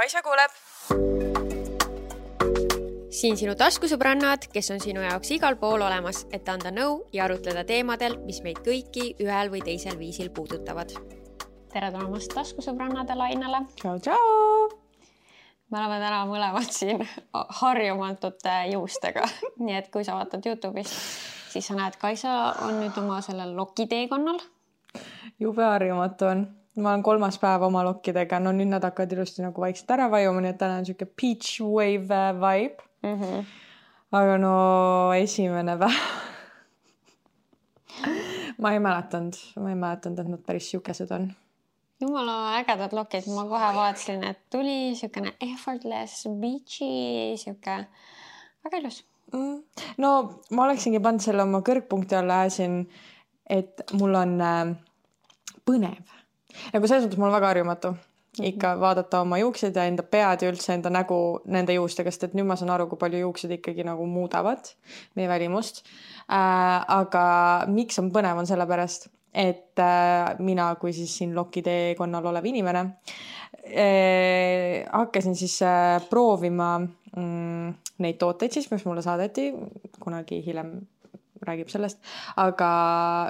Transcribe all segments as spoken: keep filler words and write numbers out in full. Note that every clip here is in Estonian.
Kaisa kuuleb. Siin sinu taskusõbrannad, kes on sinu jaoks igal pool olemas, et anda nõu ja arutleda teemadel, mis meid kõiki ühel või teisel viisil puudutavad. Tere tulemast taskusõbrannade lainele. Tšau, tšau! Me oleme täna mõlemad siin harjumatute juustega. Nii et kui sa vaatad YouTube'ist, siis sa näed, Kaisa on nüüd oma sellel lokiteekonnal. Jube harjumatu on. Ma olen kolmas päev oma lokkidega. No nüüd nad hakkavad ilusti nagu vaikselt ära vajuma, nii et täna on siuke peach wave vibe. Mm-hmm. Aga no esimene päev. ma ei mäletanud, ma ei mäletanud, et nad päris siukesed on. Jumala ägedad lokid. Ma kohe vaatasin, et tuli siukene effortless, beachy, siuke väga ilus. Mm. No ma oleksingi pannud selle oma kõrgpunkti alla äsin, et mul on äh, põnev. Nagu selles mõttes mul on väga harjumatu. Ikka vaadata oma juuksed ja enda pead ja üldse enda nägu nende juustega, sest et nüüd ma saan aru, kui palju juuksed ikkagi nagu muudavad meie välimust. Äh, aga miks on põnev on sellepärast, et äh, mina kui siis siin lokiteekonnal olev inimene äh, hakkasin siis äh, proovima mm, neid tooteid siis, mis mulle saadeti kunagi hiljem räägib sellest, aga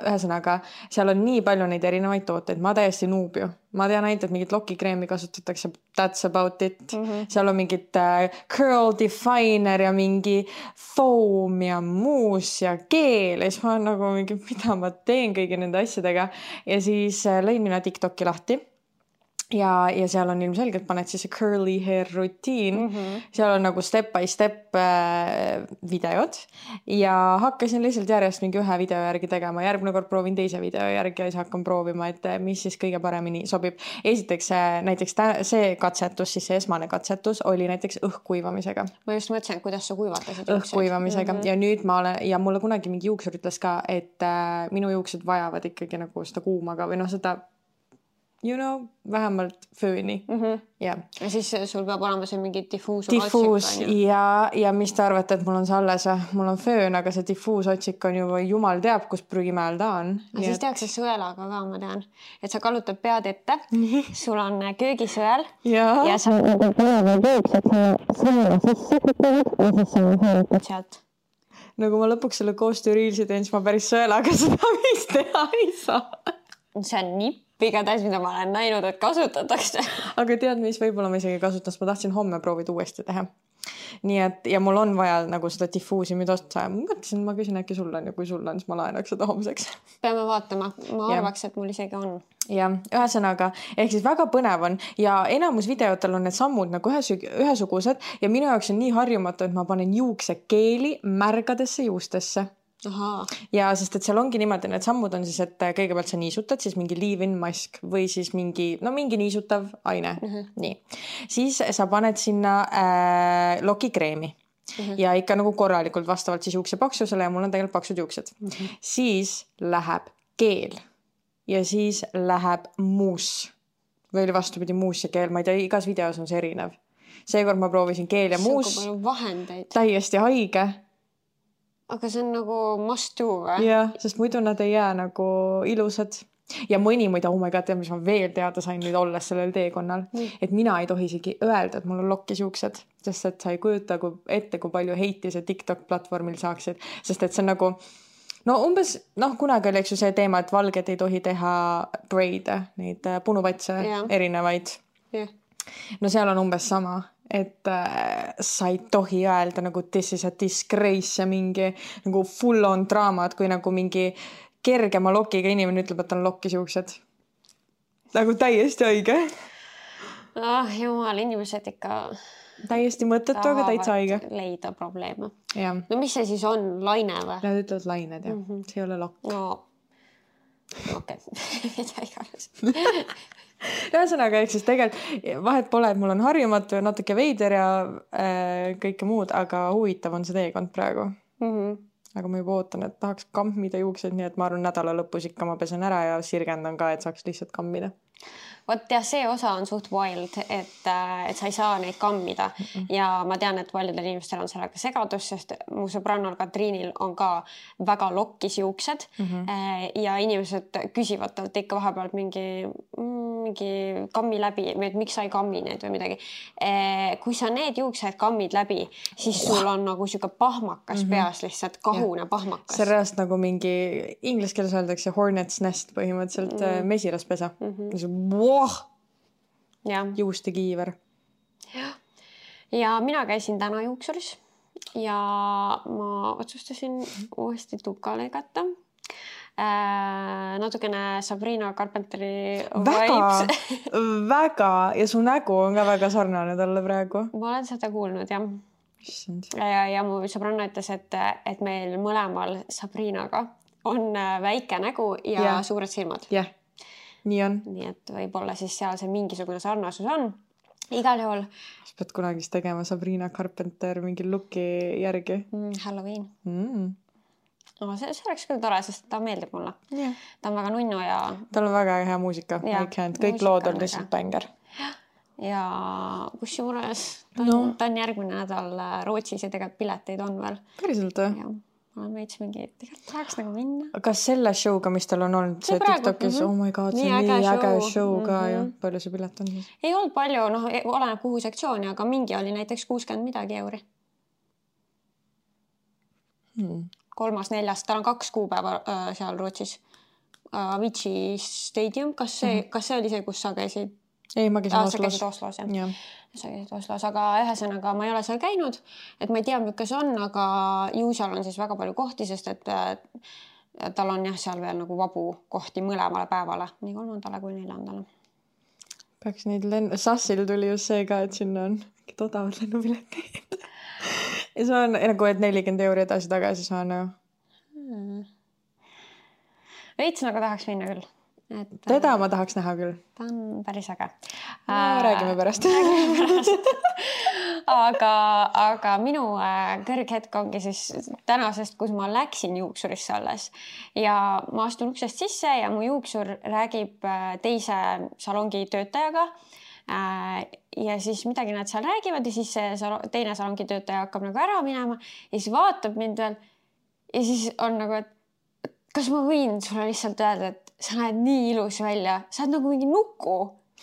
ühesõnaga, seal on nii palju neid erinevaid tooteid, ma täiesti nuub ju. Ma tean ainult, et mingit lokikreemi kasutatakse, that's about it. Mm-hmm. Seal on mingit uh, curl definer ja mingi foam ja muus ja keel. Ja siis ma olen nagu mingi, mida ma teen kõigi nende asjadega. Ja siis uh, lõin mina TikToki lahti. Ja, ja seal on ilmselgelt paned siis see curly hair rutiin. Mm-hmm. Seal on nagu step by step äh, videod ja hakkasin lihtsalt järjest mingi ühe video järgi tegema. Järgmine kord proovin teise video järgi ja siis hakkan proovima, et mis siis kõige paremini sobib. Esiteks näiteks see katsetus, siis see esmane katsetus oli näiteks õhkkuivamisega. Ma just mõtlesin, kuidas sa kuivatasid õhkkuivamisega mm-hmm. ja nüüd ma olen, ja mulle kunagi mingi juuksur ütles ka, et äh, minu juuksed vajavad ikkagi nagu seda kuumaga või noh seda you know, vähemalt fööni. Mm-hmm. Yeah. Ja siis sul peab olema see mingi diffuus diffuus otsik, ja, ja mis te arvate, et mul on see alles? Mul on föön, aga see diffuus otsik on ju jumal teab, kus prügimäel ta on. Ja siis et... tehakse sõelaga ka, ma tean. Et sa kallutad pead ette, sul on köögisõel ja, ja sa peavad jooks, et sa sõela sisse kütavad ja siis sa hõõrutad sealt. No kui ma lõpuks selle koostööriilsi teen, siis ma päris sõelaga seda vist teha ei saa. See on nipp. Igatahes, mida ma olen näinud, et kasutatakse. Aga tead, mis võib-olla ma isegi kasutas, ma tahtsin homme proovida uuesti teha. Nii et, ja mul on vaja nagu seda diffuusi nüüd osta. Ma mõtlesin, ma küsin äkki sul on ja kui sul on, siis ma laenaks seda homseks. Peame vaatama. Ma arvaks, et mul isegi on. Ja, ühesõnaga, ehk siis väga põnev on ja enamus videotel on need sammud nagu ühesugused ja minu jaoks on nii harjumatu, et ma panen juukse keeli märgadesse juustesse. Aha. Ja sest et seal ongi niimoodi, need sammud on siis, et kõigepealt sa niisutad siis mingi leave-in mask või siis mingi, no mingi niisutav aine. Uh-huh. Nii. Siis sa paned sinna äh, lokikreemi uh-huh. ja ikka nagu korralikult vastavalt siis juukse paksusele ja mul on tegelikult paksud juuksed. Uh-huh. Siis läheb keel ja siis läheb muus või oli vastupidi muus ja keel. Ma ei tea, igas videos on see erinev. Seekord ma proovisin keel ja muus. See on palju vahendeid. Täiesti haige. Aga see on nagu must do, või? Jah, sest muidu nad ei jää nagu ilusad. Ja mõni muida, oh my god, mis ma veel teada sain nüüd olles sellel teekonnal, mm. et mina ei tohi isegi öelda, et mul on lokkis juuksed, sest et sa ei kujuta kui ette, kui palju heiti see TikTok platvormil saaksid. Sest et see on nagu, no umbes, noh, kunagi oli eks ju see teema, et valged ei tohi teha braide, neid punupatse yeah. erinevaid. Yeah. No seal on umbes sama. Et äh, sa ei tohi öelda nagu this is a disgrace ja mingi nagu full on draamad, kui nagu mingi kergema lokiga inimene ütleb, et on lokkis juuksed. Nagu täiesti õige. Ah, jumal, inimesed ikka täiesti mõttetu, aga täitsa õige. Leida probleeme. Ja. No mis see siis on? Laine või? Nad ütlevad lained, jah. Mm-hmm. See ei ole lokk. No, okei. Okay. Mida iganes. Ühesõnaga, ehk siis tegelikult vahet pole, et mul on harjumatu ja natuke veider ja äh, kõike muud, aga huvitav on see teekond praegu. Mm-hmm. aga ma juba ootan, et tahaks kammida juuksed, nii et ma arvan nädala lõpus ikka ma pesen ära ja sirgendan ka, et saaks lihtsalt kammida. Vot jah, see osa on suht wild, et, et sa ei saa neid kammida mm -mm. ja ma tean, et paljudel inimestel on sellega segadus, sest mu sõbrannal Katriinil on ka väga lokkis juuksed mm -hmm. ja inimesed küsivad talt ikka vahepeal mingi, mingi kammi läbi või et miks sa ei kammi need või midagi. Kui sa need juuksed kammid läbi, siis sul on nagu siuke pahmakas mm -hmm. peas lihtsalt, kahune ja. pahmakas. See reast nagu mingi inglise keeles öeldakse hornet's nest põhimõtteliselt mm -hmm. mesilaspesa mm. -hmm. Wow! Ja. Juuste kiiver. Ja. ja mina käisin täna juuksuris ja ma otsustasin uuesti tuka lõigata. Äh, natukene Sabrina Carpenteri väga, väga ja su nägu on ka väga sarnane talle praegu. Ma olen seda kuulnud, jah. Ja, ja mu sõbranna ütles, et, et meil mõlemal Sabrinaga on väike nägu ja, ja. suured silmad. Jah. Nii on. Nii et võib-olla siis seal see mingisugune sarnasus on. Igal juhul. Sa pead kunagi tegema Sabrina Carpenter mingi looki järgi. Mm, Halloween. Mm. No, see, see oleks küll tore, sest ta meeldib mulle. Yeah. Ta on väga nunnu ja... Tal on väga hea muusika. Ja, kõik lood on lihtsalt bänger. Ja, ja kus juures ta on, no. ta on järgmine nädal Rootsis ja tegelikult pileteid on veel. Päriselt või? Ja. Ma olen veits mingi, tegelikult tahaks nagu minna. Kas selle showga, mis tal on olnud, see, see TikTokis, mm -hmm. oh my god, see nii, nii äge show, show ka mm -hmm. ja palju see pilet on siis? Ei olnud palju, noh, oleneb kuhu sektsiooni, aga mingi oli näiteks kuuskümmend midagi euri. Hmm. Kolmas, neljas, tal on kaks kuupäeva äh, seal Rootsis. Äh, Avicii Stadium, kas see, mm -hmm. kas see oli see, kus sa käisid? Ei, ma käisin ah, Oslos. Sa käisid Oslos, jah. Ja. Sa käisid Oslos, aga ühesõnaga ma ei ole seal käinud, et ma ei tea, milline see on, aga ju seal on siis väga palju kohti, sest et tal on jah seal veel nagu vabu kohti mõlemale päevale, nii kolmandale kui neljandale. Peaks neid lenn... Sassil tuli just see ka, et sinna on mingid odavad lennupiletid. ja see on nagu, et nelikümmend euri edasi tagasi saana. Hmm. Veits nagu tahaks minna küll. Et, teda ma tahaks näha küll. Ta on päris äge. No, äh, räägime pärast. aga, aga minu kõrghetk ongi siis tänasest, kus ma läksin juuksurisse alles ja ma astun uksest sisse ja mu juuksur räägib teise salongi töötajaga ja siis midagi nad seal räägivad ja siis see teine salongi töötaja hakkab nagu ära minema ja siis vaatab mind veel ja siis on nagu, et kas ma võin sulle lihtsalt öelda, et sa näed nii ilus välja, sa oled nagu mingi nuku.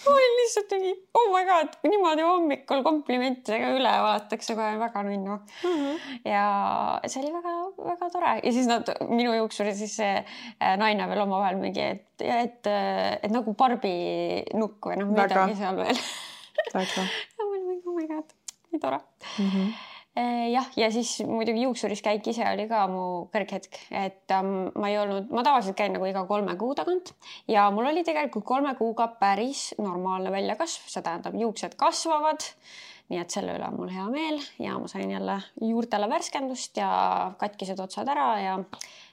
Ma olin lihtsalt mingi, oh my god, niimoodi hommikul komplimentidega üle vaadatakse kohe väga nunnu. Mm -hmm. Ja see oli väga, väga tore. Ja siis nad, minu juuksuri siis see naine veel omavahel mingi, et, et, et, et nagu Barbie nukk või noh, midagi seal veel. Väga. Ja ma olin mingi, oh my god, nii tore. Mm -hmm. Jah, ja siis muidugi juuksuris käik ise oli ka mu kõrghetk, et um, ma ei olnud, ma tavaliselt käin nagu iga kolme kuu tagant ja mul oli tegelikult kolme kuuga päris normaalne väljakasv, see tähendab juuksed kasvavad, nii et selle üle on mul hea meel ja ma sain jälle juurtele värskendust ja katkised otsad ära ja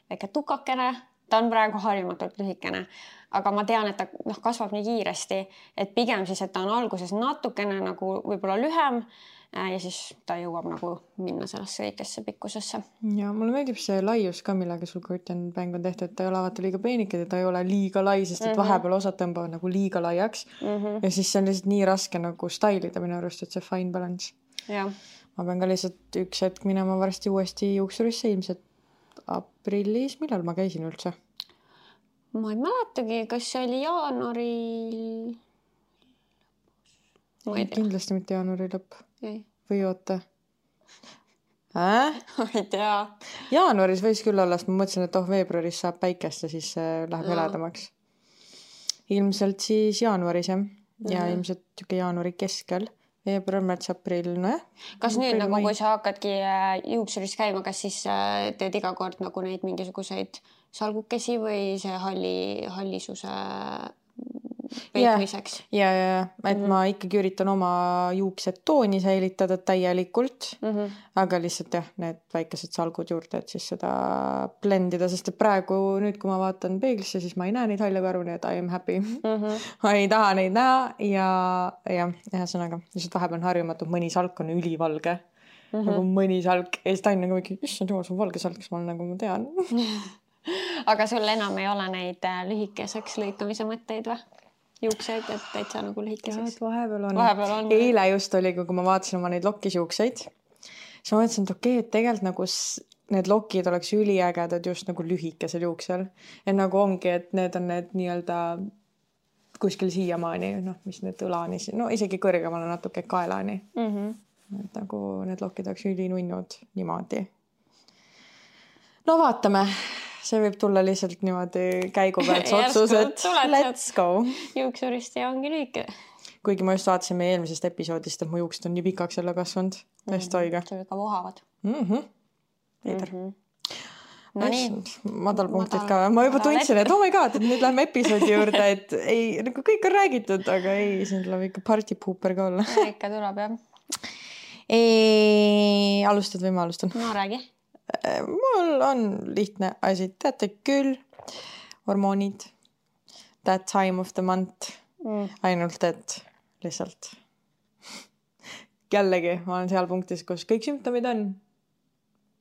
väike tukakene, ta on praegu harjumatult lühikene, aga ma tean, et ta noh, kasvab nii kiiresti, et pigem siis, et ta on alguses natukene nagu võib-olla lühem ja siis ta jõuab nagu minna sellesse õigesse pikkusesse. Ja mulle meeldib see laius ka, millega sul curtain bang on tehtud, et ta ei ole vaata liiga peenikad ja ta ei ole liiga lai, sest et mm -hmm. vahepeal osad tõmbavad nagu liiga laiaks mm -hmm. ja siis see on lihtsalt nii raske nagu stylida minu arust, et see fine balance. Ja. Ma pean ka lihtsalt üks hetk minema varsti uuesti juuksurisse, ilmselt aprillis, millal ma käisin üldse? Ma ei mäletagi, kas see oli jaanuari... Ma ei tea. Kindlasti mitte jaanuari lõpp. Ei. Või oota. Äh? Ma ei tea. Jaanuaris võis küll olla, sest ma mõtlesin, et oh, veebruaris saab päikest ja siis läheb heledamaks. Ilmselt siis jaanuaris, jah. Ja mm -hmm. ilmselt tüke jaanuari keskel. Veebruar, märts, aprill, no jah. Kas nüüd nagu, kui sa hakkadki juuksuris käima, kas siis teed iga kord nagu neid mingisuguseid salgukesi või see halli, hallisuse... peitmiseks. Ja, ja, ja, et mm -hmm. ma ikkagi üritan oma juuksed tooni säilitada täielikult, mm -hmm. aga lihtsalt jah, need väikesed salgud juurde, et siis seda blendida, sest et praegu nüüd, kui ma vaatan peeglisse, siis ma ei näe neid halle karvu, nii et I am happy. Mm -hmm. ma ei taha neid näha ja, ja ühesõnaga, lihtsalt vahepeal on harjumatud, mõni salk on ülivalge. mm-hmm. nagu mõni salk ja siis ta on nagu mingi, issand jumal, see on valge salk, siis ma olen nagu, ma tean. Aga sul enam ei ole neid lühikeseks lõikamise mõtteid või? Juukseid, et täitsa nagu lühikeseks? Ja, vahepeal on. Vahepeal on. Eile just oli, kui ma vaatasin oma neid lokkisjuukseid, siis ma mõtlesin, et okei, et tegelikult nagu need lokid oleks üliägedad just nagu lühikesel juuksel. Ja nagu ongi, et need on need nii-öelda kuskil siiamaani, noh, mis need õlani, no isegi kõrgemale natuke kaelani. Mm-hmm. Et nagu need lokid oleks ülinunnud niimoodi. No vaatame. See võib tulla lihtsalt niimoodi käigu pealt otsus, et let's go. Juuksurist ja ongi lühike. Kuigi ma just vaatasin meie eelmisest episoodist, et mu juuksed on nii pikaks jälle kasvanud. Täiesti õige. See ka vohavad. Mm-hmm. Eider. Mm-hmm. No nii. Madalpunktid ka. Ma juba tundsin, et oh my god, et nüüd läheme episoodi juurde, et ei, nagu kõik on räägitud, aga ei, siin tuleb ikka partypooper ka olla. Ikka tuleb, jah. Ei, alustad või ma alustan? No räägi. Mul on lihtne asi, teate küll, hormoonid, that time of the month, mm. ainult et lihtsalt jällegi ma olen seal punktis, kus kõik sümptomid on,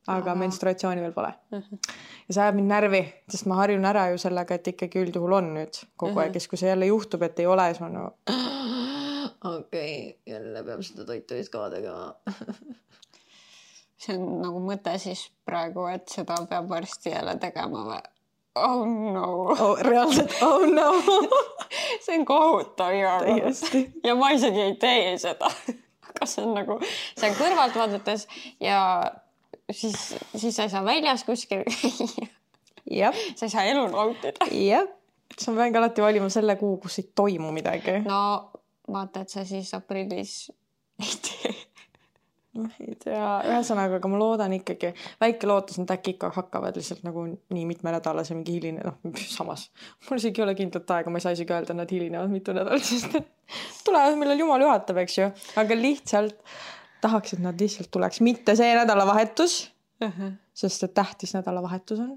aga Aha. menstruatsiooni veel pole. Uh-huh. Ja see ajab mind närvi, sest ma harjun ära ju sellega, et ikkagi üldjuhul on nüüd kogu uh-huh. aeg, kes kui see jälle juhtub, et ei ole, siis ma no okei, okay, jälle peab seda toitu ka tegema. See on nagu mõte siis praegu, et seda peab varsti jälle tegema või? Oh no. Oh, reaalselt, oh no. See on kohutav ja, ja ma isegi ei tee seda. Aga see on nagu, see on kõrvalt vaadates ja siis, siis sa ei saa väljas kuskil. Jep. Sa ei saa elu nautida. Jep. Sa pean ka alati valima selle kuu, kus ei toimu midagi. No vaata, et sa siis aprillis ei tee. No, ei tea, ühesõnaga, aga ma loodan ikkagi, väike lootus on, et äkki ikka hakkavad lihtsalt nagu nii mitme nädala see mingi hiline, noh, samas. Mul isegi ei ole kindlat aega, ma ei saa isegi öelda, nad hilinevad mitu nädalat, sest tulevad, millal jumal juhatab, eks ju. Aga lihtsalt tahaks, et nad lihtsalt tuleks. Mitte see nädalavahetus, uh-huh. sest et tähtis nädalavahetus on.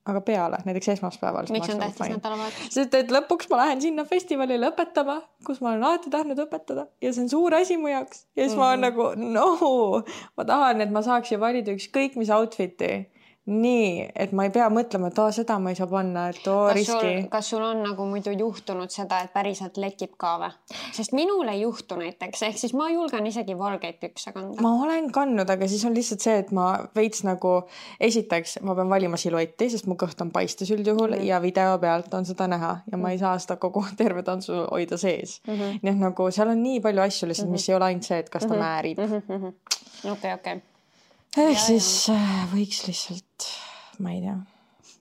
Aga peale, näiteks esmaspäeval. Miks on tähtis nädalavahetus? Sest et lõpuks ma lähen sinna festivalile õpetama, kus ma olen alati tahtnud õpetada ja see on suur asi mu jaoks. Ja siis mm-hmm. ma olen nagu, no, ma tahan, et ma saaks ju valida üks kõik, mis outfiti. Nii, et ma ei pea mõtlema, et oo, seda ma ei saa panna, et oo, kas riski. Sul, kas sul on nagu muidu juhtunud seda, et päriselt lekib ka või? Sest minul ei juhtu näiteks, ehk siis ma julgen isegi valgeid pükse kanda. Ma olen kandnud, aga siis on lihtsalt see, et ma veits nagu esiteks, ma pean valima siluetti, sest mu kõht on paistes üldjuhul mm-hmm. ja video pealt on seda näha ja ma ei saa seda kogu terve tantsu hoida sees. Mm-hmm. Nii et nagu seal on nii palju asju lihtsalt, mm-hmm. mis ei ole ainult see, et kas ta mm-hmm. määrib. Mm-hmm. Okei, okei. Ehk ja, siis ja. võiks lihtsalt, ma ei tea,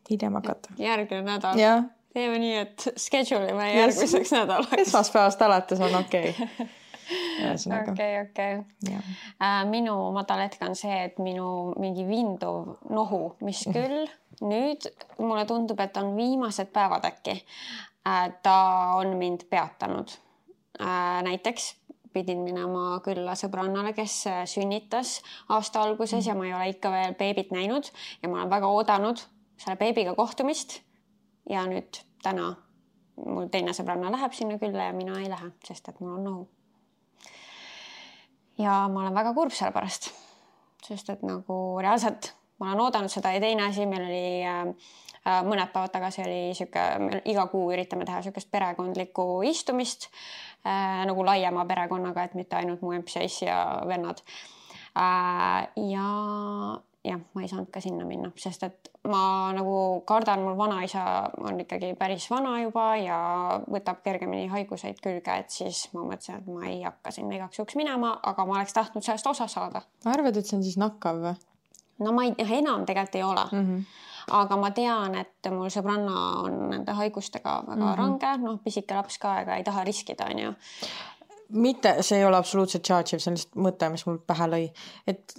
hiljem hakata. Järgmine nädal. Ja. Teeme nii, et schedule me järgmiseks nädalaks. Esmaspäevast alates on okei. Okay. okei, okei. Minu madalhetk on see, et minu mingi vinduv nohu, mis küll nüüd mulle tundub, et on viimased päevad äkki. Ta on mind peatanud. Näiteks pidin minema külla sõbrannale, kes sünnitas aasta alguses ja ma ei ole ikka veel beebit näinud ja ma olen väga oodanud selle beebiga kohtumist ja nüüd täna mul teine sõbranna läheb sinna külla ja mina ei lähe, sest et mul on nohu. Ja ma olen väga kurb selle pärast, sest et nagu reaalselt ma olen oodanud seda ja teine asi, meil oli äh, mõned päevad tagasi oli siuke, iga kuu üritame teha siukest perekondlikku istumist äh, nagu laiema perekonnaga, et mitte ainult mu empseis ja vennad. Äh, ja jah, ma ei saanud ka sinna minna, sest et ma nagu kardan, mul vanaisa on ikkagi päris vana juba ja võtab kergemini haiguseid külge, et siis ma mõtlesin, et ma ei hakka sinna igaks juhuks minema, aga ma oleks tahtnud sellest osa saada. Arvad, et see on siis nakkav või? No ma ei, enam tegelikult ei ole. Mm-hmm. Aga ma tean, et mul sõbranna on nende haigustega väga mm-hmm. range, noh, pisike laps ka, ega ei taha riskida, on ju. Mitte, see ei ole absoluutselt charge, see on lihtsalt mõte, mis mul pähe lõi. Et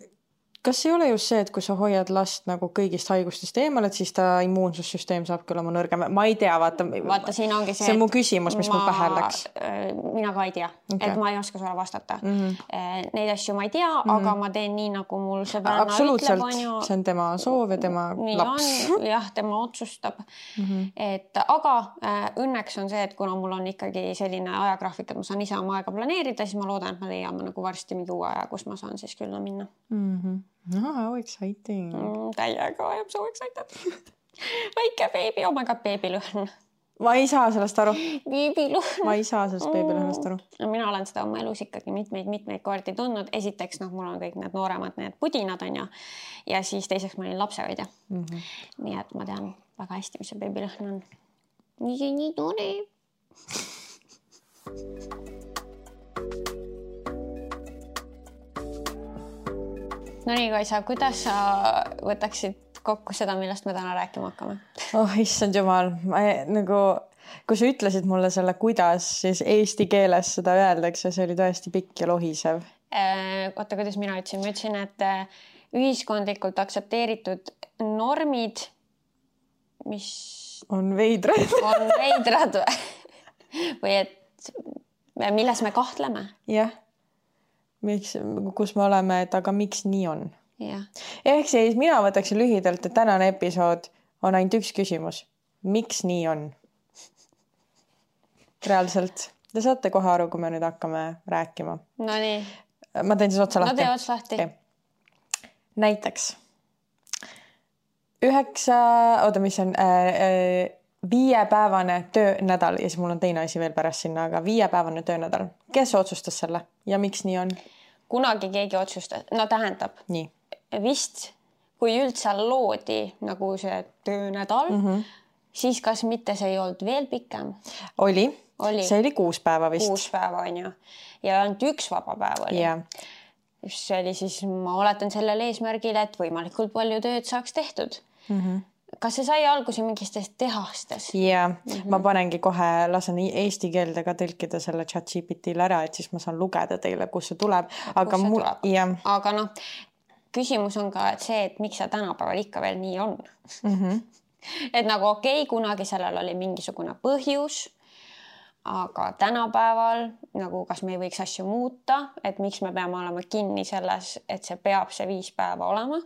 kas ei ole just see, et kui sa hoiad last nagu kõigist haigustest eemal, et siis ta immuunsussüsteem saab küll oma nõrgem, ma ei tea, vaata. Vaata, siin ongi see, see on mu küsimus, mis ma, mul pähe läks. Mina ka ei tea, okay. Et ma ei oska sulle vastata. Mm -hmm. Neid asju ma ei tea, mm -hmm. aga ma teen nii, nagu mul sõbranna absoluutselt, ütleb. Absoluutselt, see on tema soov ja tema nii laps. On, jah, tema otsustab. Mm -hmm. Et, aga äh, õnneks on see, et kuna mul on ikkagi selline ajagraafik, et ma saan ise oma aega planeerida, siis ma loodan, et ma leiame nagu varsti mingi uue aja, kus ma saan siis külla minna. Mm -hmm. No, how exciting. Mm, täiega, I am so excited. Väike beebi, oh my god, beebilõhn. Ma ei saa sellest aru. Beebilõhn. Ma ei saa sellest beebilõhnast aru. Mina olen seda oma elus ikkagi mitmeid, mitmeid kordi tundnud. Esiteks, noh, mul on kõik need nooremad, need pudinad on ja, ja siis teiseks ma olin lapsehoidja. Mm -hmm. Nii et ma tean väga hästi, mis see beebilõhn on. Nii, nii tore. No nii, Kaisa, kuidas sa võtaksid kokku seda, millest me täna rääkima hakkame? Oh, issand jumal. Ma, nagu, kui sa ütlesid mulle selle, kuidas siis eesti keeles seda öeldakse, see oli tõesti pikk ja lohisev. Oota, kuidas mina ütlesin? Ma ütlesin, et ühiskondlikult aktsepteeritud normid, mis on veidrad. On veidrad või et milles me kahtleme. Jah. Miks, kus me oleme, et aga miks nii on? Ja. Ehk siis mina võtaksin lühidalt, et tänane episood on ainult üks küsimus. Miks nii on? Reaalselt. Te saate kohe aru, kui me nüüd hakkame rääkima. No nii. Ma teen siis otsa lahti. No tee otsa lahti. Okay. Näiteks. Üheksa, oota, mis on äh, viiepäevane töönädal ja siis mul on teine asi veel pärast sinna, aga viiepäevane töönädal. Kes otsustas selle ja miks nii on? Kunagi keegi otsustas. No tähendab. Nii. Vist, kui üldse loodi nagu see töönädal, mm -hmm. siis kas mitte see ei olnud veel pikem? Oli. oli. See oli kuus päeva vist. Kuus päeva on ju. Ja ainult üks vaba päev oli. Yeah. See oli siis, ma oletan sellel eesmärgil, et võimalikult palju tööd saaks tehtud. Mm -hmm. Kas see sai alguse mingistest tehastes? Jaa, mm -hmm. ma panengi kohe, lasen eesti keelde ka tõlkida selle chat G P T-le ära, et siis ma saan lugeda teile, kus see tuleb. Aga, see mul... tuleb. Aga noh, küsimus on ka et see, et miks see tänapäeval ikka veel nii on. Mm -hmm. Et nagu okei, okay, kunagi sellel oli mingisugune põhjus, aga tänapäeval nagu kas me ei võiks asju muuta, et miks me peame olema kinni selles, et see peab see viis päeva olema?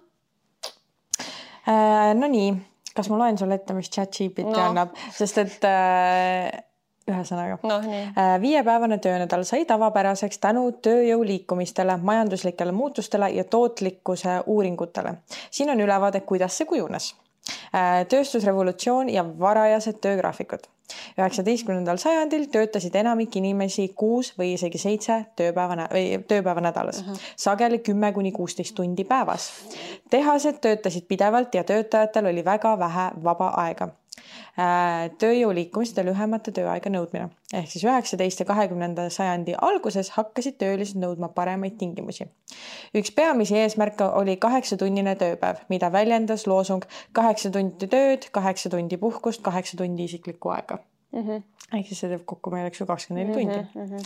Äh, no nii, kas ma loen sulle ette, mis chat G P T no. annab, sest et äh, ühesõnaga no, äh, viiepäevane töönädal sai tavapäraseks tänu tööjõu liikumistele, majanduslikele muutustele ja tootlikkuse uuringutele. Siin on ülevaade, kuidas see kujunes. Äh, tööstusrevolutsioon ja varajased töögraafikud. üheksateistkümnendal sajandil töötasid enamik inimesi kuus või isegi seitse tööpäeva, tööpäeva nädalas. Uh -huh. Sageli kümme kuni kuusteist tundi päevas. Tehased töötasid pidevalt ja töötajatel oli väga vähe vaba aega. Tööjõu liikumiste lühemate tööaega nõudmine. Ehk siis üheksateist ja kahekümnenda sajandi alguses hakkasid töölised nõudma paremaid tingimusi. Üks peamisi eesmärke oli kaheksatunnine tööpäev, mida väljendas loosung kaheksa tundi tööd, kaheksa tundi puhkust, kaheksa tundi isiklikku aega. Mm -hmm. Ehk siis see teeb kokku meil eks ju kakskümmend neli tundi. Mm -hmm.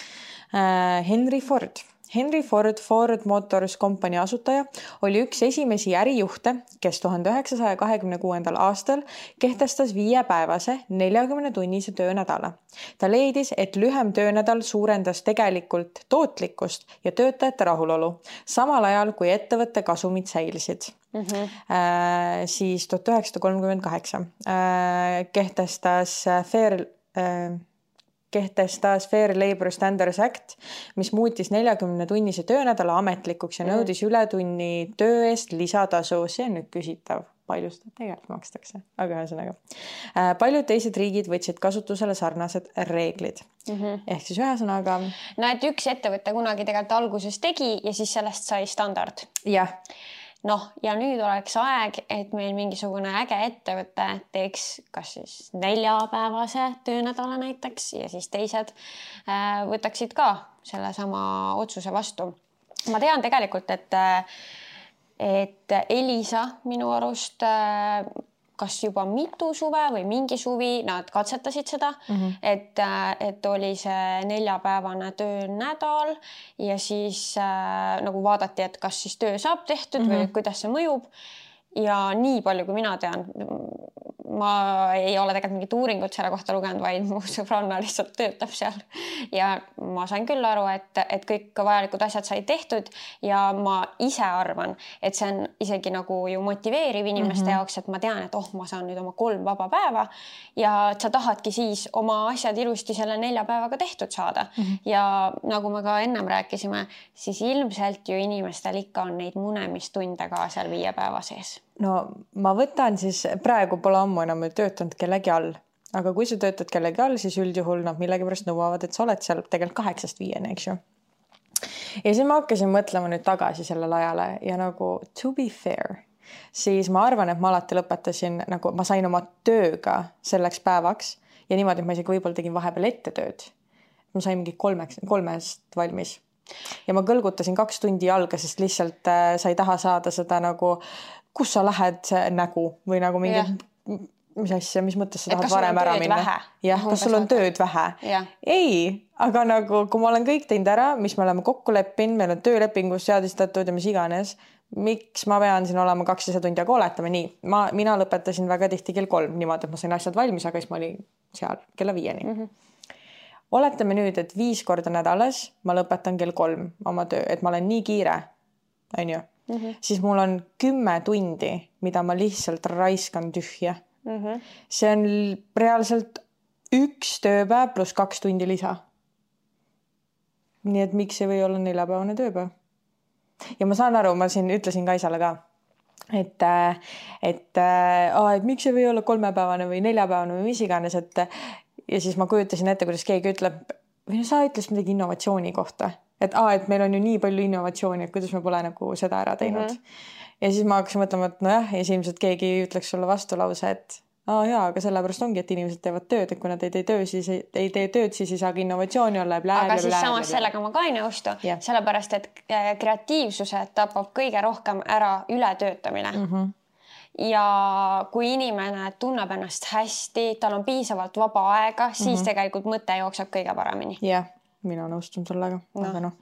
uh, Henry Ford. Henry Ford, Ford Motors Company asutaja, oli üks esimesi ärijuhte, kes tuhande üheksasaja kahekümne kuuendal aastal kehtestas viiepäevase neljakümne tunnise töönädala. Ta leidis, et lühem töönädal suurendas tegelikult tootlikkust ja töötajate rahulolu, samal ajal kui ettevõtte kasumid säilisid. Mm -hmm. äh, siis tuhat üheksasada kolmkümmend kaheksa äh, kehtestas Fair... Äh, kehtestas Fair Labor Standards Act, mis muutis neljakümne tunnise töönädala ametlikuks ja nõudis ületunni töö eest lisatasu. See on nüüd küsitav, palju seda tegelikult makstakse, aga ühesõnaga. Paljud teised riigid võtsid kasutusele sarnased reeglid. Mm -hmm. Ehk siis ühesõnaga... No et üks ettevõte kunagi tegelikult alguses tegi ja siis sellest sai standard. Jah. Noh, ja nüüd oleks aeg, et meil mingisugune äge ettevõte teeks kas siis neljapäevase töönädala näiteks ja siis teised äh, võtaksid ka selle sama otsuse vastu. Ma tean tegelikult, et, et Elisa minu arust äh, kas juba mitu suve või mingi suvi nad katsetasid seda mm, -hmm. et, et oli see neljapäevane töönädal ja siis äh, nagu vaadati, et kas siis töö saab tehtud mm -hmm. või kuidas see mõjub. Ja nii palju, kui mina tean, ma ei ole tegelikult mingit uuringut selle kohta lugenud, vaid mu sõbranna lihtsalt töötab seal. Ja ma sain küll aru, et, et kõik vajalikud asjad sai tehtud ja ma ise arvan, et see on isegi nagu ju motiveeriv inimeste mm-hmm. jaoks, et ma tean, et oh, ma saan nüüd oma kolm vaba päeva ja sa tahadki siis oma asjad ilusti selle nelja päevaga tehtud saada. Mm-hmm. Ja nagu me ka ennem rääkisime, siis ilmselt ju inimestel ikka on neid munemistunde ka seal viie päeva sees. No ma võtan siis, praegu pole ammu enam töötanud kellegi all, aga kui sa töötad kellegi all, siis üldjuhul nad millegipärast nõuavad, et sa oled seal tegelikult kaheksast viieni, eks ju. Ja siis ma hakkasin mõtlema nüüd tagasi sellele ajale ja nagu to be fair, siis ma arvan, et ma alati lõpetasin, nagu ma sain oma tööga selleks päevaks ja niimoodi, et ma isegi võib-olla tegin vahepeal ette tööd. Ma sain mingi kolmeks, kolmest valmis ja ma kõlgutasin kaks tundi jalga, sest lihtsalt äh, sa ei taha saada seda nagu kus sa lähed nägu või nagu mingi, yeah. mis asja, mis mõttes sa tahad varem ära minna? Jah, kas sul on tööd vähe? Yeah. Ei, aga nagu, kui ma olen kõik teinud ära, mis me oleme kokku leppinud, meil on töölepingus seadistatud ja mis iganes, miks ma pean siin olema kakssada tundi, aga oletame nii. Ma, mina lõpetasin väga tihti kell kolm niimoodi, et ma sain asjad valmis, aga siis ma olin seal kella viieni. Mm -hmm. Oletame nüüd, et viis korda nädalas ma lõpetan kell kolm oma töö, et ma olen nii kiire, on ju. Mm -hmm. siis mul on kümme tundi, mida ma lihtsalt raiskan tühja. Mm -hmm. see on reaalselt üks tööpäev pluss kaks tundi lisa. Nii et miks ei või olla neljapäevane tööpäev? Ja ma saan aru, ma siin ütlesin Kaisale ka, et, et, et miks ei või olla kolmepäevane või neljapäevane või mis iganes, et ja siis ma kujutasin ette, kuidas keegi ütleb, või no sa ütlesid midagi innovatsiooni kohta. Et, aa, et meil on ju nii palju innovatsiooni, et kuidas me pole nagu seda ära teinud. Mm-hmm. Ja siis ma hakkasin mõtlema, et nojah, ja ilmselt keegi ütleks sulle vastulause, et aa jaa, aga sellepärast ongi, et inimesed teevad tööd, et kui nad ei tee tööd, siis ei, ei tee tööd, siis ei saagi innovatsiooni olla. Blää, aga blää, siis blää, samas blää. sellega ma ka ei nõustu, yeah. sellepärast, et kreatiivsuse tapab kõige rohkem ära ületöötamine. Mm-hmm. Ja kui inimene tunneb ennast hästi, tal on piisavalt vaba aega, siis mm-hmm. tegelikult mõte jookseb kõige paremini. Jah. Yeah. Mina nõustun sellega, no. aga noh.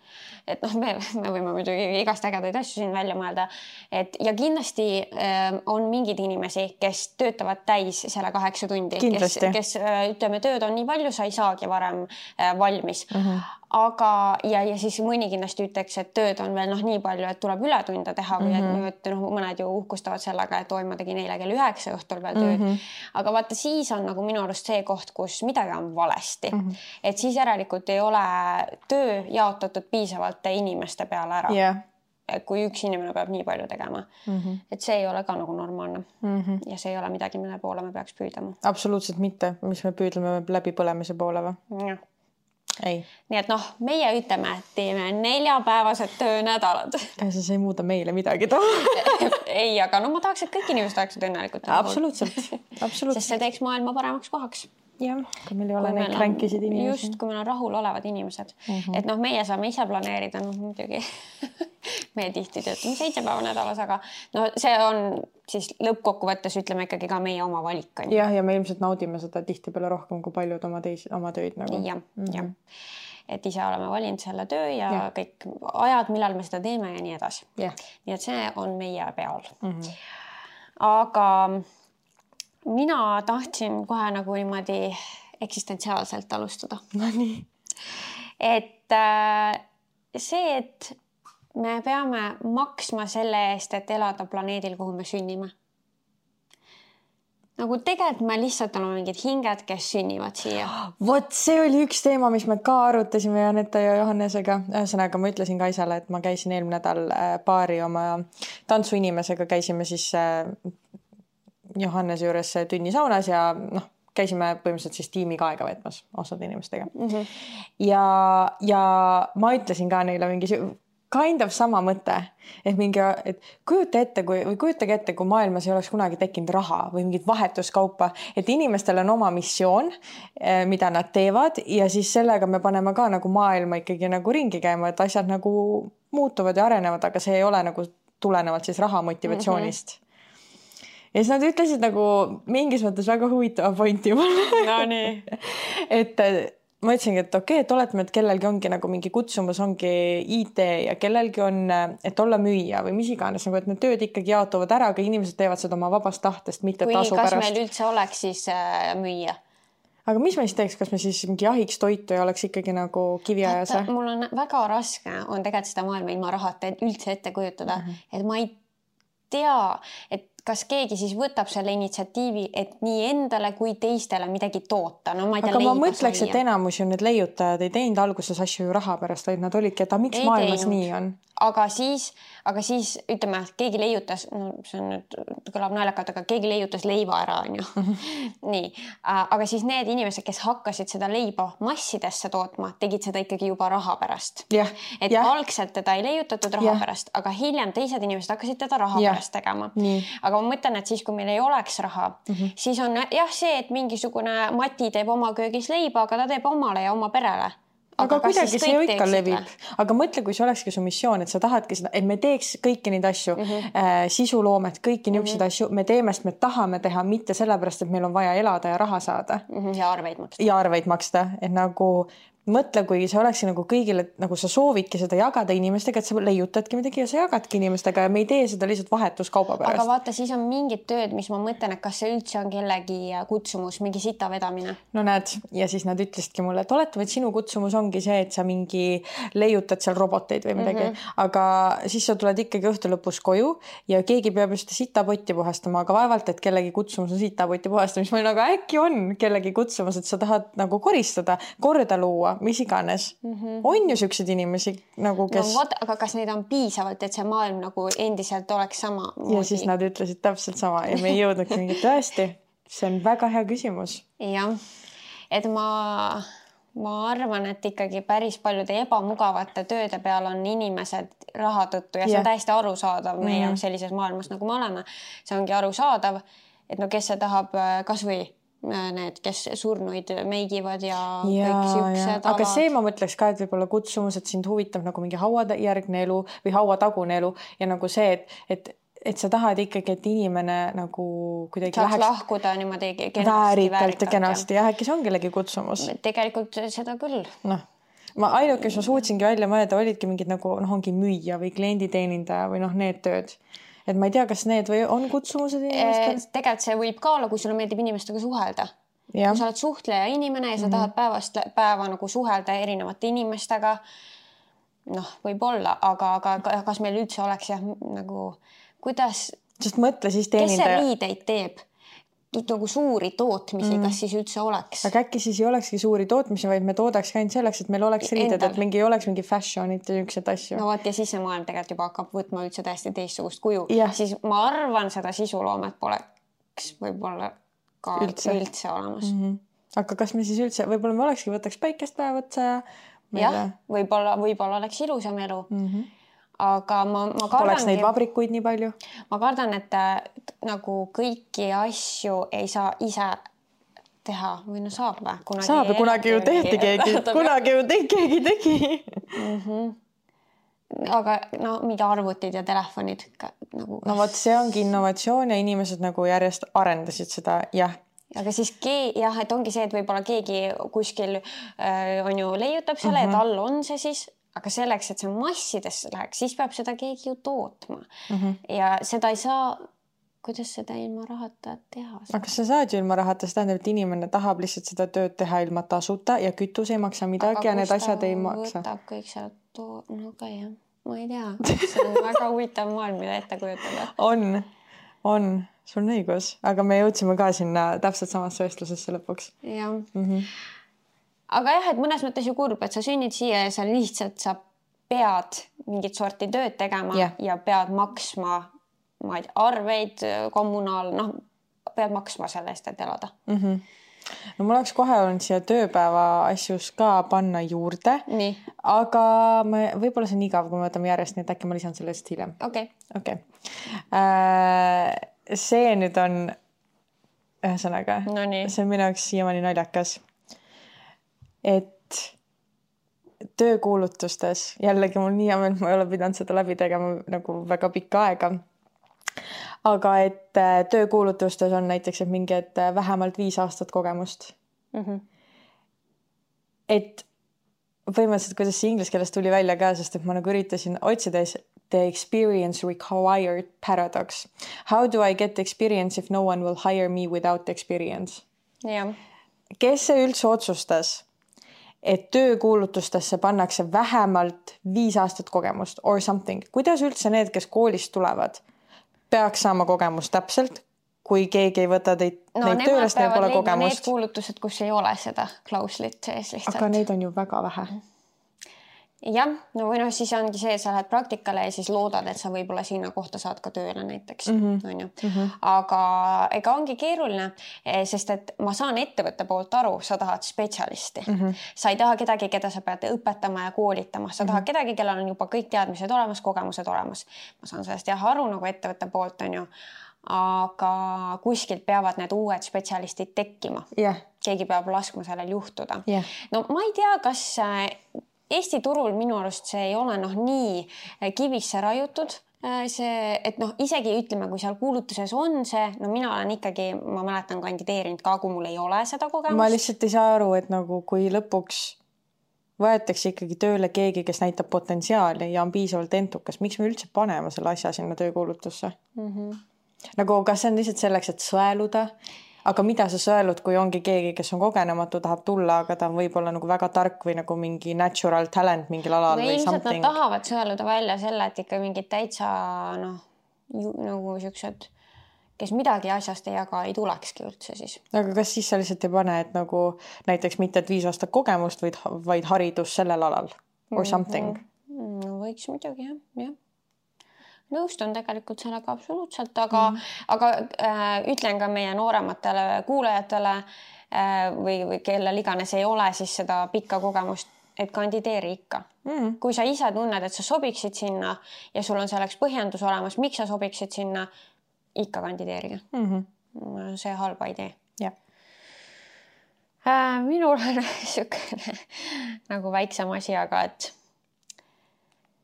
Et noh, me, me võime muidugi igast ägedaid asju siin välja mõelda. Et ja kindlasti äh, on mingid inimesi, kes töötavad täis selle kaheksa tundi. Kes, kes äh, ütleme, tööd on nii palju, sa ei saagi varem äh, valmis. Uh-huh. Aga ja, ja siis mõni kindlasti ütleks, et tööd on veel noh, nii palju, et tuleb ületunde teha või mm-hmm. et, et noh, mõned ju uhkustavad sellega, et oi, ma tegin eile kell üheksa õhtul veel tööd. Mm-hmm. Aga vaata, siis on nagu minu arust see koht, kus midagi on valesti. Mm-hmm. Et siis järelikult ei ole töö jaotatud piisavalt inimeste peale ära. Yeah. Kui üks inimene peab nii palju tegema. Mm-hmm. Et see ei ole ka nagu normaalne. Mm-hmm. Ja see ei ole midagi, mille poole me peaks püüdlema. Absoluutselt mitte. Mis me püüdleme läbi põlemise poole või? Jah. Ei. Nii et noh, meie ütleme, et teeme neljapäevased töönädalad. Ja see ei muuda meile midagi too. Ei, aga no ma tahaks, et kõik inimesed oleksid õnnelikult. Absoluutselt. Absoluutselt. Sest see teeks maailma paremaks kohaks. Jah, kui meil ei ole neid kränkisid inimesi. Just, kui meil on rahul olevad inimesed. Uh-huh. Et noh, meie saame ise planeerida, noh muidugi. Meie tihti töötame seitse päeva nädalas, aga no see on siis lõppkokkuvõttes ütleme ikkagi ka meie oma valik. Jah, ja me ilmselt naudime seda tihti peale rohkem kui paljud oma, teis, oma tööd. Nagu. Jah, mm-hmm. jah. Et ise oleme valinud selle töö ja, ja kõik ajad, millal me seda teeme ja nii edasi. Ja. Nii et see on meie peal. Mm-hmm. Aga mina tahtsin kohe nagu niimoodi eksistentsiaalselt alustada. No nii. Et see, et me peame maksma selle eest, et elada planeedil, kuhu me sünnime. Nagu tegelikult me lihtsalt oleme mingid hinged, kes sünnivad siia. Vot see oli üks teema, mis me ka arutasime Janeta ja Johannesega. Ühesõnaga ma ütlesin Kaisale, et ma käisin eelmine nädal paari oma tantsuinimesega, käisime siis Johannese juures tünnisaunas ja noh, käisime põhimõtteliselt siis tiimiga aega võtmas osad inimestega. Mm-hmm. Ja, ja ma ütlesin ka neile mingi kind of sama mõte, et mingi, et kujuta ette, kui, või kujutage ette, kui maailmas ei oleks kunagi tekkinud raha või mingit vahetuskaupa, et inimestel on oma missioon, mida nad teevad ja siis sellega me paneme ka nagu maailma ikkagi nagu ringi käima, et asjad nagu muutuvad ja arenevad, aga see ei ole nagu tulenevalt siis raha motivatsioonist. Mm-hmm. ja siis nad ütlesid nagu mingis mõttes väga huvitava pointi mulle. No nii. et ma ütlesingi, et okei, okay, et oletame, et kellelgi ongi nagu mingi kutsumus ongi I T ja kellelgi on, et olla müüja või mis iganes, nagu et need tööd ikkagi jaotuvad ära, aga inimesed teevad seda oma vabast tahtest, mitte kui tasu kas pärast. meil üldse oleks siis äh, müüja? Aga mis me siis teeks, kas me siis mingi jahiks toitu ja oleks ikkagi nagu kiviajas? Mul on väga raske on tegelikult seda maailma ilma rahata üldse ette kujutada, mm -hmm. et ma ei tea, et kas keegi siis võtab selle initsiatiivi, et nii endale kui teistele midagi toota. No, ma ei tea, aga ma mõtleks, et enamus ju need leiutajad ei teinud alguses asju ju raha pärast, vaid nad olidki, et miks ei maailmas teinud. Nii on? Aga siis, aga siis ütleme, keegi leiutas, no see on nüüd kõlab naljakalt, aga keegi leiutas leiva ära, on ju. nii, aga siis need inimesed, kes hakkasid seda leiba massidesse tootma, tegid seda ikkagi juba raha pärast. Ja, et ja. algselt teda ei leiutatud raha ja. pärast, aga hiljem teised inimesed hakkasid teda raha ja. pärast tegema. Nii. Aga ma mõtlen, et siis, kui meil ei oleks raha, mm -hmm. siis on jah see, et mingisugune Mati teeb oma köögis leiba, aga ta teeb omale ja oma perele. aga, aga kuidagi see ju ikka levib. Aga mõtle, kui see olekski su missioon, et sa tahadki seda, et me teeks kõiki neid asju, mm -hmm. äh, sisuloomet, kõiki niisuguseid mm -hmm. asju, me teeme, sest me tahame teha, mitte sellepärast, et meil on vaja elada ja raha saada. Mm -hmm. Ja arveid maksta. Ja arveid maksta, et nagu mõtle, kui see oleks nagu kõigile, nagu sa soovidki seda jagada inimestega, et sa leiutadki midagi ja sa jagadki inimestega ja me ei tee seda lihtsalt vahetuskauba pärast. Aga vaata, siis on mingid tööd, mis ma mõtlen, et kas see üldse on kellegi kutsumus, mingi sita vedamine. No näed, ja siis nad ütlesidki mulle, et oletame, et sinu kutsumus ongi see, et sa mingi leiutad seal roboteid või midagi, mm -hmm. aga siis sa tuled ikkagi õhtu lõpus koju ja keegi peab just sitapotti puhastama, aga vaevalt, et kellegi kutsumus on sitapotti puhastamist. Ma olin, aga äkki on kellegi kutsumus, et sa tahad nagu koristada, korda luua, mis iganes. Mm -hmm. On ju siuksed inimesi nagu, kes... No, võt, aga kas neid on piisavalt, et see maailm nagu endiselt oleks sama? Ja siis nad ütlesid täpselt sama ja me ei jõudnudki mingit tõesti. See on väga hea küsimus. Jah, et ma, ma arvan, et ikkagi päris paljude ebamugavate tööde peal on inimesed raha tõttu ja see yeah. on täiesti arusaadav meie mm -hmm. sellises maailmas, nagu me oleme. See ongi arusaadav, et no kes see tahab kas või need, kes surnuid meigivad ja, ja kõik siuksed. Aga see ma mõtleks ka, et võib-olla kutsumus, et sind huvitab nagu mingi hauajärgne elu või hauatagune elu ja nagu see, et, et, et sa tahad ikkagi, et inimene nagu kuidagi saaks läheks... lahkuda niimoodi kenasti, väärikalt ja kenasti ja äkki see on kellegi kutsumus. Tegelikult seda küll. Noh, ma ainuke, kes ma suutsingi välja mõelda, olidki mingid nagu noh, ongi müüja või klienditeenindaja või noh, need tööd. Et ma ei tea, kas need või on kutsumused inimestel? Tegelikult see võib ka olla, kui sulle meeldib inimestega suhelda. Ja. Kui sa oled suhtleja inimene ja sa mm -hmm. tahad päevast päeva nagu suhelda erinevate inimestega, noh, võib olla, aga, aga kas meil üldse oleks jah, nagu kuidas... Sest mõtle siis teenindaja... Kes see riideid teeb? Nagu suuri tootmisi, mm. kas siis üldse oleks? Aga äkki siis ei olekski suuri tootmisi, vaid me toodaks ka ainult selleks, et meil oleks riided, et mingi oleks mingi fashionit ja niisugused asju. No vaat ja siis see maailm tegelikult juba hakkab võtma üldse täiesti teistsugust kuju. Ja. Siis ma arvan, seda sisuloomet poleks võib-olla ka üldse, üldse olemas. Mm -hmm. Aga kas me siis üldse, võib-olla me olekski, võtaks päikest päev otsa ja... Jah, võib-olla, võib-olla oleks ilusam elu. Mm -hmm. Aga ma, ma kardangi... Oleks neid vabrikuid nii palju? Ma kardan, et nagu kõiki asju ei saa ise teha või no saab või? Kunagi saab ja kunagi ju tehti keegi. Kunagi ju te, keegi tegi. Mm -hmm. Aga no mingi arvutid ja telefonid nagu... No vot, see ongi innovatsioon ja inimesed nagu järjest arendasid seda, jah. Aga siis kee, jah, et ongi see, et võib-olla keegi kuskil äh, on ju leiutab selle, mm -hmm. et all on see siis... Aga selleks, et see massidesse läheks, siis peab seda keegi ju tootma. Mm -hmm. Ja seda ei saa, kuidas seda ilma rahata teha? Aga sa saad ju ilma rahata, see tähendab, et inimene tahab lihtsalt seda tööd teha ilma tasuta ja kütus ei maksa midagi aga ja need asjad ei maksa. Aga võtab kõik sealt to... No ka jah, ma ei tea. See on väga huvitav maailm, mida ette kujutada. On, on, sul on õigus. Aga me jõudsime ka sinna täpselt samasse vestlusesse lõpuks. Jah. Mm -hmm. Aga jah, et mõnes mõttes ju kurb, et sa sünnid siia ja sa lihtsalt sa pead mingit sorti tööd tegema yeah. ja pead maksma ma ei tea, arveid, kommunaal, noh, pead maksma selle eest, et elada. Mm -hmm. No mul oleks kohe olnud siia tööpäeva asjus ka panna juurde, nii. Aga me, võib-olla see on igav, kui me võtame järjest, nii et äkki ma lisan sellest hiljem. Okei. Okay. Okay. Äh, see nüüd on ühesõnaga, no see on minu jaoks siiamaani naljakas. Et töökuulutustes, jällegi mul nii amel, ma ei ole pidanud seda läbi tegema nagu väga pikka aega, aga et töökuulutustes on näiteks, et mingi, et vähemalt viis aastat kogemust. Mm-hmm. Et põhimõtteliselt, kuidas see inglise keeles tuli välja ka, sest et ma nagu üritasin otsida the experience required paradox. How do I get experience if no one will hire me without experience? Ja. Kes see üldse otsustas, et töökuulutustesse pannakse vähemalt viis aastat kogemust or something? Kuidas üldse need, kes koolist tulevad, peaks saama kogemust täpselt, kui keegi ei võta teid, no, neid töölest, neil pole kogemust? Need kuulutused, kus ei ole seda klauslit sees lihtsalt. Aga neid on ju väga vähe. Jah, no või noh, siis ongi see, et sa lähed praktikale ja siis loodad, et sa võib-olla sinna kohta saad ka tööle näiteks. Mm-hmm. On ju? Mm-hmm. Aga ega ongi keeruline, sest et ma saan ettevõtte poolt aru, sa tahad spetsialisti. Mm-hmm. Sa ei taha kedagi, keda sa pead õpetama ja koolitama. Sa tahad mm-hmm. kedagi, kellel on juba kõik teadmised olemas, kogemused olemas. Ma saan sellest jah aru nagu ettevõtte poolt, on ju. Aga kuskilt peavad need uued spetsialistid tekkima. Yeah. Keegi peab laskma sellel juhtuda. Yeah. No ma ei tea, kas Eesti turul minu arust see ei ole noh nii kivisse rajutud. See, et noh, isegi ütleme, kui seal kuulutuses on see, no mina olen ikkagi, ma mäletan kandideerinud ka, kui mul ei ole seda kogemust. Ma lihtsalt ei saa aru, et nagu kui lõpuks võetakse ikkagi tööle keegi, kes näitab potentsiaali ja on piisavalt entukas, miks me üldse paneme selle asja sinna töökuulutusse? Mm-hmm. Nagu kas see on lihtsalt selleks, et sõeluda? Aga mida sa sõelud, kui ongi keegi, kes on kogenematu, tahab tulla, aga ta on võib-olla nagu väga tark või nagu mingi natural talent mingil alal no, või something? Nad tahavad sõeluda välja selle, et ikka mingid täitsa noh, nagu siuksed, kes midagi asjast ei jaga, ei tulekski üldse siis. Aga kas siis sa lihtsalt ei pane, et nagu näiteks mitte et viis aastat kogemust, vaid, vaid haridus sellel alal or something? Mm-hmm. No, võiks muidugi, jah, jah. Nõustun tegelikult sellega absoluutselt, aga, mm. aga äh, ütlen ka meie noorematele kuulajatele äh, või, või kellel iganes ei ole siis seda pikka kogemust, et kandideeri ikka. Mm. Kui sa ise tunned, et sa sobiksid sinna ja sul on selleks põhjendus olemas, miks sa sobiksid sinna, ikka kandideerige. Mm-hmm. See halba idee. Yeah. Äh, minul on niisugune nagu väiksem asi, aga et,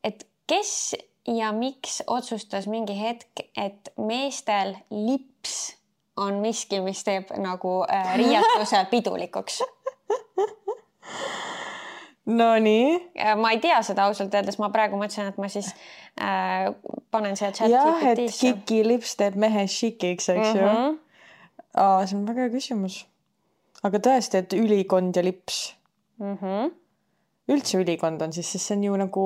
et kes ja miks otsustas mingi hetk, et meestel lips on miski, mis teeb nagu äh, riiatuse pidulikuks? No nii. Ma ei tea seda ausalt öeldes, ma praegu mõtlesin, et ma siis äh, panen see chat jah, et kiki lips teeb mehe šikiks, eks ju. Mm-hmm. Aa, see on väga hea küsimus. Aga tõesti, et ülikond ja lips. Mm-hmm. Üldse ülikond on siis, sest see on ju nagu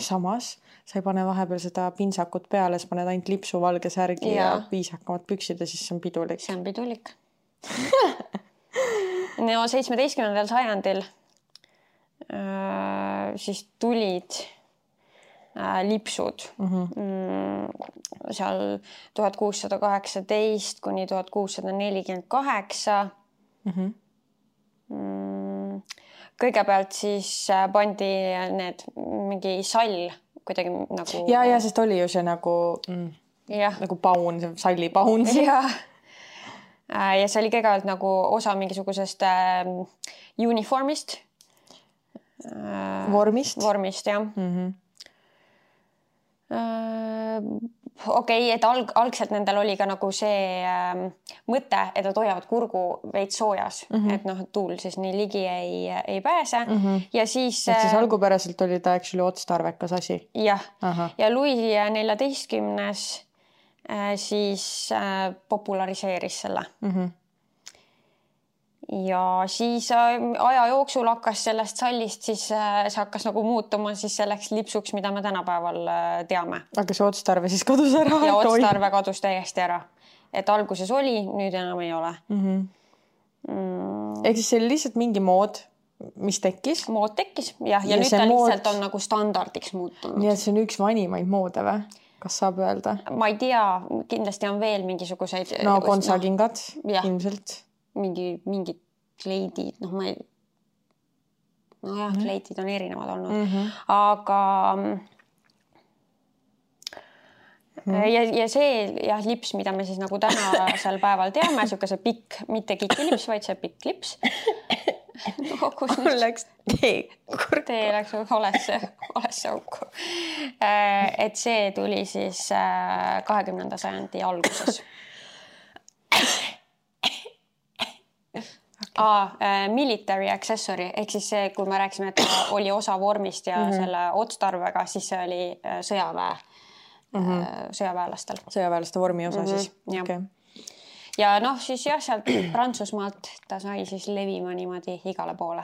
samas. Sa ei pane vahepeal seda pinsakut peale, siis paned ainult lipsu valge särgi ja, ja viisakamad püksid ja siis see on pidulik. See on pidulik. No seitsmeteistkümnendal sajandil äh, siis tulid äh, lipsud mm-hmm. mm, seal tuhat kuussada kaheksateist kuni tuhat kuussada nelikümmend kaheksa. Mm-hmm. Mm, kõigepealt siis pandi need mingi sall kuidagi nagu... Ja, ja sest oli ju see nagu, mm, nagu paun, see salli paun. Ja. ja see oli kõigepealt nagu osa mingisugusest äh, uniformist. Äh, vormist? Vormist, jah. Mm-hmm. Äh, okei, okay, et alg, algselt nendel oli ka nagu see äh, mõte, et nad hoiavad kurgu veits soojas, mm-hmm. et noh, tuul siis nii ligi ei, ei pääse. Mm-hmm. Ja siis... Et siis algupäraselt oli ta actually otstarvekas asi? Jah. Aha. Ja Louis neljateistkümnes äh, siis äh, populariseeris selle. Mm-hmm. Ja siis aja jooksul hakkas sellest sallist, siis see hakkas nagu muutuma siis selleks lipsuks, mida me tänapäeval teame. Aga see otstarve siis kadus ära? Ja otstarve kadus täiesti ära. Et alguses oli, nüüd enam ei ole. Mm-hmm. Mm. Ehk siis see oli lihtsalt mingi mood, mis tekkis? Mood tekkis, jah. Ja, ja nüüd ta mood... lihtsalt on nagu standardiks muutunud. Nii et see on üks vanimaid moode või? Kas saab öelda? Ma ei tea, kindlasti on veel mingisuguseid... No kontsakingad no, ilmselt. Mingi, mingid kleidid, noh ma ei... No jah, mm. kleidid on erinevad olnud. Mm-hmm. Aga... Mm. Ja, ja see jah, lips, mida me siis nagu tänasel päeval teame, siukese pikk, mitte kikilips, vaid see pikk lips. No, kus nüüd... läks tee kurku. Tee läks olesse, olesse auku. et see tuli siis kahekümnenda sajandi alguses. Ah, military accessory ehk siis see, kui me rääkisime, et ta oli osa vormist ja mm-hmm. selle otstarvega, siis see oli sõjaväe, mm-hmm. sõjaväelastel. Sõjaväelaste vormi osa mm-hmm. siis. Okay. Ja noh, siis jah, sealt Prantsusmaalt ta sai siis levima niimoodi igale poole.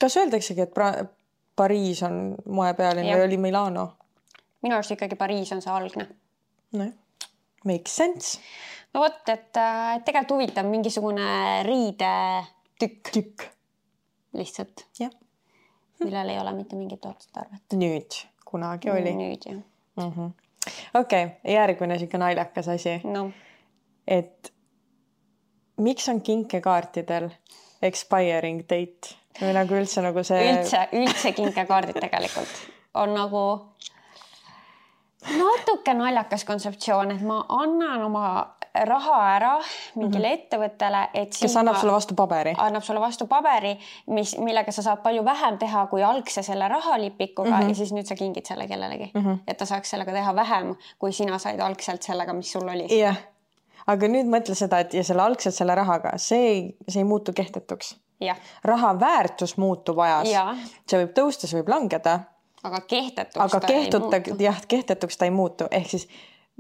Kas öeldaksegi, et pra- Pariis on moepealinn või oli Milano? Minu arust ikkagi Pariis on see algne. No, makes sense. No vot, et tegelikult huvitav mingisugune riide tükk. Tükk. Lihtsalt. Jah. Millel ei ole mitte mingit otstarvet. Nüüd, kunagi oli. Nüüd, jah. Mm-hmm. Okei, okay, järgmine siuke naljakas asi. No. Et miks on kinkekaartidel expiring date? Või nagu üldse nagu see... Üldse, üldse kinkekaardid tegelikult on nagu natuke naljakas kontseptsioon, et ma annan oma raha ära mingile mm-hmm. ettevõttele, et kes annab sulle vastu paberi. Annab sulle vastu paberi, mis, millega sa saad palju vähem teha kui algse selle rahalipikuga mm-hmm. ja siis nüüd sa kingid selle kellelegi. Mm-hmm. Et ta saaks sellega teha vähem, kui sina said algselt sellega, mis sul oli. Jah, aga nüüd mõtle seda, et ja selle algselt selle rahaga, see ei, see ei muutu kehtetuks. Ja. Raha väärtus muutub ajas. Ja. See võib tõusta, see võib langeda. Aga kehtetuks aga ta kehtutta, ei muutu. Jah, kehtetuks ta ei muutu. Ehk siis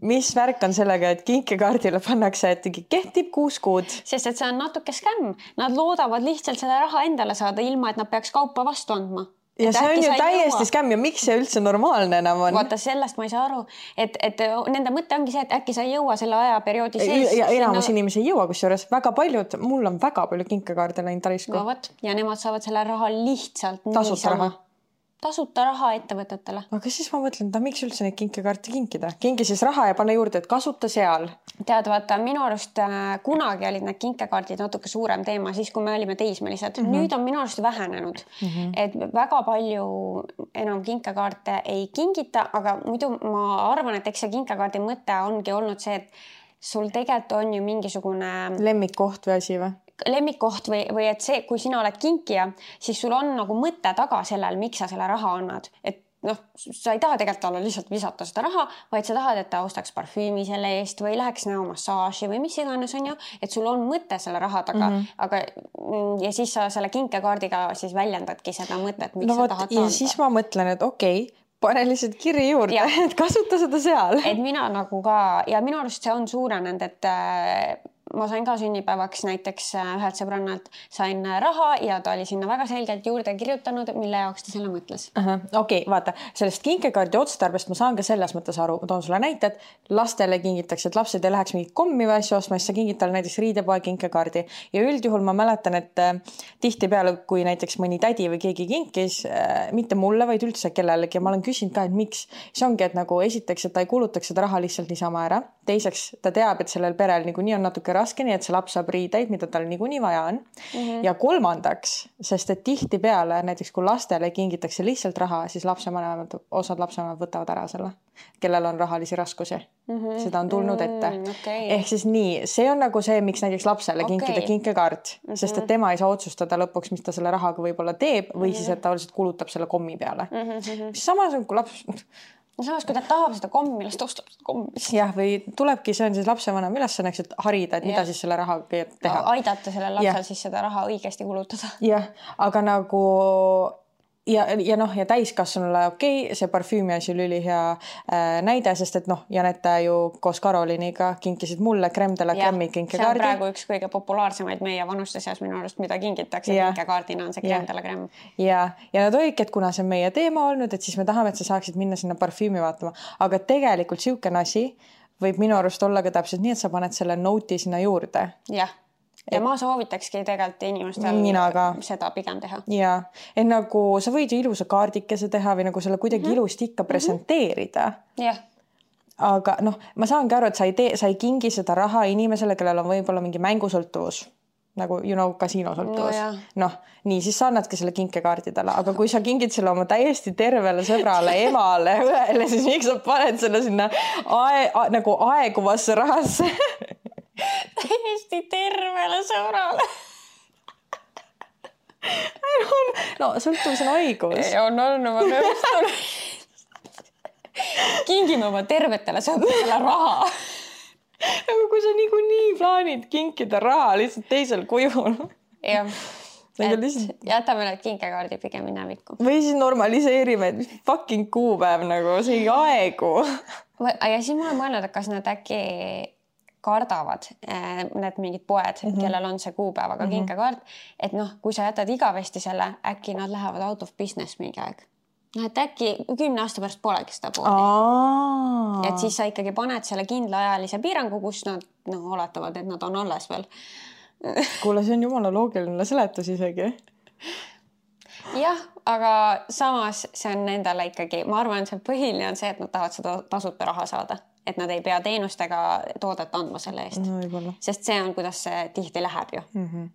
mis värk on sellega, et kinkekaardile pannakse, et kehtib kuus kuud? Sest et see on natuke skämm. Nad loodavad lihtsalt selle raha endale saada, ilma et nad peaks kaupa vastu andma. Ja et see on ju täiesti skämm ja miks see üldse normaalne enam on? Vaata, sellest ma ei saa aru, et, et nende mõte ongi see, et äkki sa ei jõua selle ajaperioodi sees. Ja enamus sinna... inimesi ei jõua, kusjuures väga paljud, mul on väga palju kinkekaarde läinud tarisku. No võt, ja nemad saavad selle raha lihtsalt tasuta raha. Tasuta raha ettevõtetele. Aga siis ma mõtlen, ta miks üldse neid kinkekaarte kinkida? Kingi siis raha ja pane juurde, et kasuta seal. Tead, vaata, minu arust äh, kunagi olid need kinkekaardid natuke suurem teema, siis kui me olime teismelised. Mm-hmm. Nüüd on minu arust vähenenud. Mm-hmm. Et väga palju enam kinkekaarte ei kingita, aga muidu ma arvan, et eks see kinkekaardi mõte ongi olnud see, et sul tegelikult on ju mingisugune... Lemmikkoht või asi või? lemmikkoht või, või et see, kui sina oled kinkija, siis sul on nagu mõte taga sellel, miks sa selle raha annad. Et noh, sa ei taha tegelikult olla lihtsalt visata seda raha, vaid sa tahad, et ta ostaks parfüümi selle eest või läheks näomassaaži või mis iganes on ju, et sul on mõte selle raha taga, mm-hmm. aga ja siis sa selle kinkekaardiga siis väljendadki seda mõtet, miks no, sa võt, tahad ja anda. Siis ma mõtlen, et okei, okay, pane lihtsalt kirja juurde, et kasuta seda seal. Et mina nagu ka, ja minu arust see on suurenenud, et ma sain ka sünnipäevaks näiteks ühelt sõbrannalt sain raha ja ta oli sinna väga selgelt juurde kirjutanud, mille jaoks ta selle mõtles. Okei, okay, vaata, sellest kinkekaardi otstarbest ma saan ka selles mõttes aru. Ma toon sulle näited. Lastele kingitakse, et lapsed ei läheks mingit kommi või asju ostma, siis sa kingid talle näiteks riidepoe kinkekaardi. Ja üldjuhul ma mäletan, et tihti peale, kui näiteks mõni tädi või keegi kinkis, mitte mulle, vaid üldse kellelegi, ja ma olen küsinud ka, et miks. See ongi, et nagu esiteks, et ta ei kulutaks seda raha lihtsalt niisama ära. Teiseks, ta teab, et sellel perel niikuinii on natuke raske, nii et see laps saab riideid, mida tal niikuinii vaja on. Mm-hmm. Ja kolmandaks, sest et tihti peale, näiteks kui lastele kingitakse lihtsalt raha, siis lapsevanemad, osad lapsevanemad võtavad ära selle, kellel on rahalisi raskusi. Mm-hmm. Seda on tulnud ette. Mm, okay. Ehk siis nii, see on nagu see, miks näiteks lapsele okay. kinkida kinkekaart, mm-hmm. sest et tema ei saa otsustada lõpuks, mis ta selle rahaga võib-olla teeb või mm-hmm. siis, et ta lihtsalt kulutab selle kommi peale. Mm-hmm. Samas on, kui laps... No samas, kui ta tahab seda kommi, millest ostab seda kommi. Jah, või tulebki, see on siis lapsevanem ülesanneks, et harida, et mida ja. Siis selle rahaga teha. Aidata sellel lapsel ja. Siis seda raha õigesti kulutada. Jah, aga nagu... Ja, ja noh, ja täiskasvanule okei, okay, see parfüümi asi oli ülihea äh, näide, sest et noh, Janette ju koos Karoliniga kinkisid mulle Crème de la Crème'i kinkekaardi. See on praegu üks kõige populaarsemaid meie vanuste seas minu arust, mida kingitakse ja. Kinkekaardina on see Crème de la Crème. Ja, ja nad olidki, et kuna see on meie teema olnud, et siis me tahame, et sa saaksid minna sinna parfüümi vaatama. Aga tegelikult siukene asi võib minu arust olla ka täpselt nii, et sa paned selle note'i sinna juurde. Jah. Ja ma soovitakski tegelikult inimestel seda pigem teha. Ja, et nagu sa võid ju ilusa kaardikese teha või nagu selle kuidagi mm-hmm. ilusti ikka presenteerida. Jah. Aga noh, ma saangi aru, et sa ei, tee, sa ei kingi seda raha inimesele, kellel on võib-olla mingi mängusõltuvus. Nagu, you know, kasiinosõltuvus. No, noh, nii, siis sa annadki selle kinkekaardidele. Aga kui sa kingid selle oma täiesti tervele sõbrale, emale, õele, siis miks sa paned selle sinna ae, a, nagu aeguvasse rahasse? Täiesti tervele sõbrale. no, sõltuvus on haigus. Ei, on olnud, ma nõustun. kingime oma tervetele sõpradele raha. Aga kui sa niikuinii plaanid kinkida raha lihtsalt teisel kujul. Jah, et lihtsalt... jätame need kinkekaardi pigem minevikku. Või siis normaliseerime, et mis fucking kuupäev nagu, see ei aegu. Ja siis ma olen mõelnud, et kas nad äkki kardavad need mingid poed, mm -hmm. kellel on see kuupäevaga mm -hmm. kinkekaart, et noh, kui sa jätad igavesti selle, äkki nad lähevad out of business mingi aeg. No, et äkki kümne aasta pärast polegi seda poodi. Et siis sa ikkagi paned selle kindla ajalise piirangu, kus nad no, oletavad, et nad on alles veel. Kuule, see on jumala loogiline seletus isegi. Jah, aga samas see on nendele ikkagi, ma arvan, see põhiline on see, et nad tahavad seda tasuta raha saada. Et nad ei pea teenustega toodet andma selle eest. No, sest see on, kuidas see tihti läheb ju. Mm -hmm.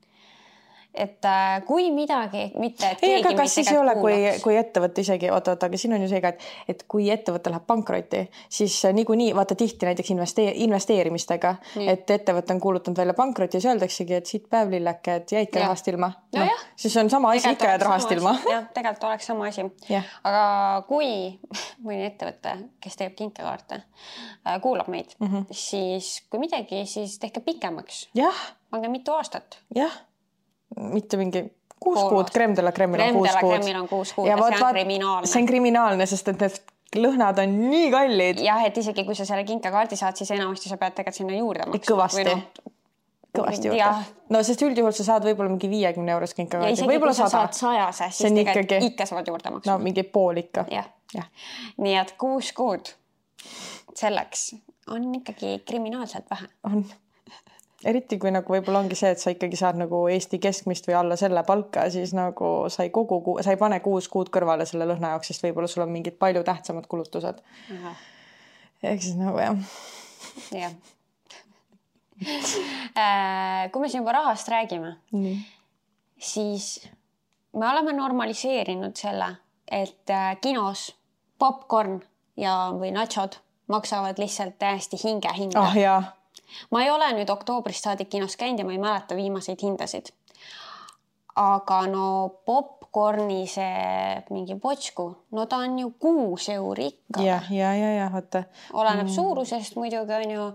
Et äh, kui midagi, mitte et ei, aga kas siis ei ole, kui, kui ettevõtte isegi, oota, oota, aga siin on ju see ka, et, et kui ettevõte läheb pankrotti, siis niikuinii, vaata tihti näiteks investee, investeerimistega, nii. Et ettevõte on kuulutanud välja pankroti ja öeldaksegi, et siit päev lilleke, et jäidki ja. rahast ilma. No, no, siis on sama asi, ikka jääd rahast ilma. Jah, tegelikult oleks sama asi. Ja. Aga kui mõni ettevõte, kes teeb kinkekaarte, kuulab meid, mm -hmm. siis kui midagi, siis tehke pikemaks. Jah. Pange mitu aastat. Jah. Mitte mingi kuus kuud, Crème de la Crème'il on kuus kuud. Crème'il on kuus kuud ja, ja see on kriminaalne. See on kriminaalne, sest et need lõhnad on nii kallid. Jah, et isegi kui sa selle kinkekaardi saad, siis enamasti sa pead tegelikult sinna juurde maksma. Kõvasti. No, kõvasti juurde. Ja. No, sest üldjuhul sa saad võib-olla mingi viiekümne euros kinkekaardi. Ja isegi kui sa saad sajase, siis tegelikult ikkagi... ikka saad juurde maksma. No, mingi pool ikka. Jah. Ja. Nii et kuus kuud selleks on ikkagi kriminaalselt vähe. On. Eriti kui nagu võib-olla ongi see, et sa ikkagi saad nagu Eesti keskmist või alla selle palka, siis nagu sa ei, kogu, sa ei pane kuus kuud kõrvale selle lõhna jaoks, sest võib-olla sul on mingid palju tähtsamad kulutused. Aha. Ehk siis nagu jah. Jah. Kui me siin juba rahast räägime, mm. siis me oleme normaliseerinud selle, et kinos popcorn ja või nachod maksavad lihtsalt täiesti hinge hinda. Ah, jaa. Ma ei ole nüüd oktoobrist saadik kinos käinud ja ma ei mäleta viimaseid hindasid. Aga no popcorni see mingi potsku, no ta on ju kuus euri ikka. Ja, ja, ja, ja, vaata. Oleneb mm. suurusest muidugi on ju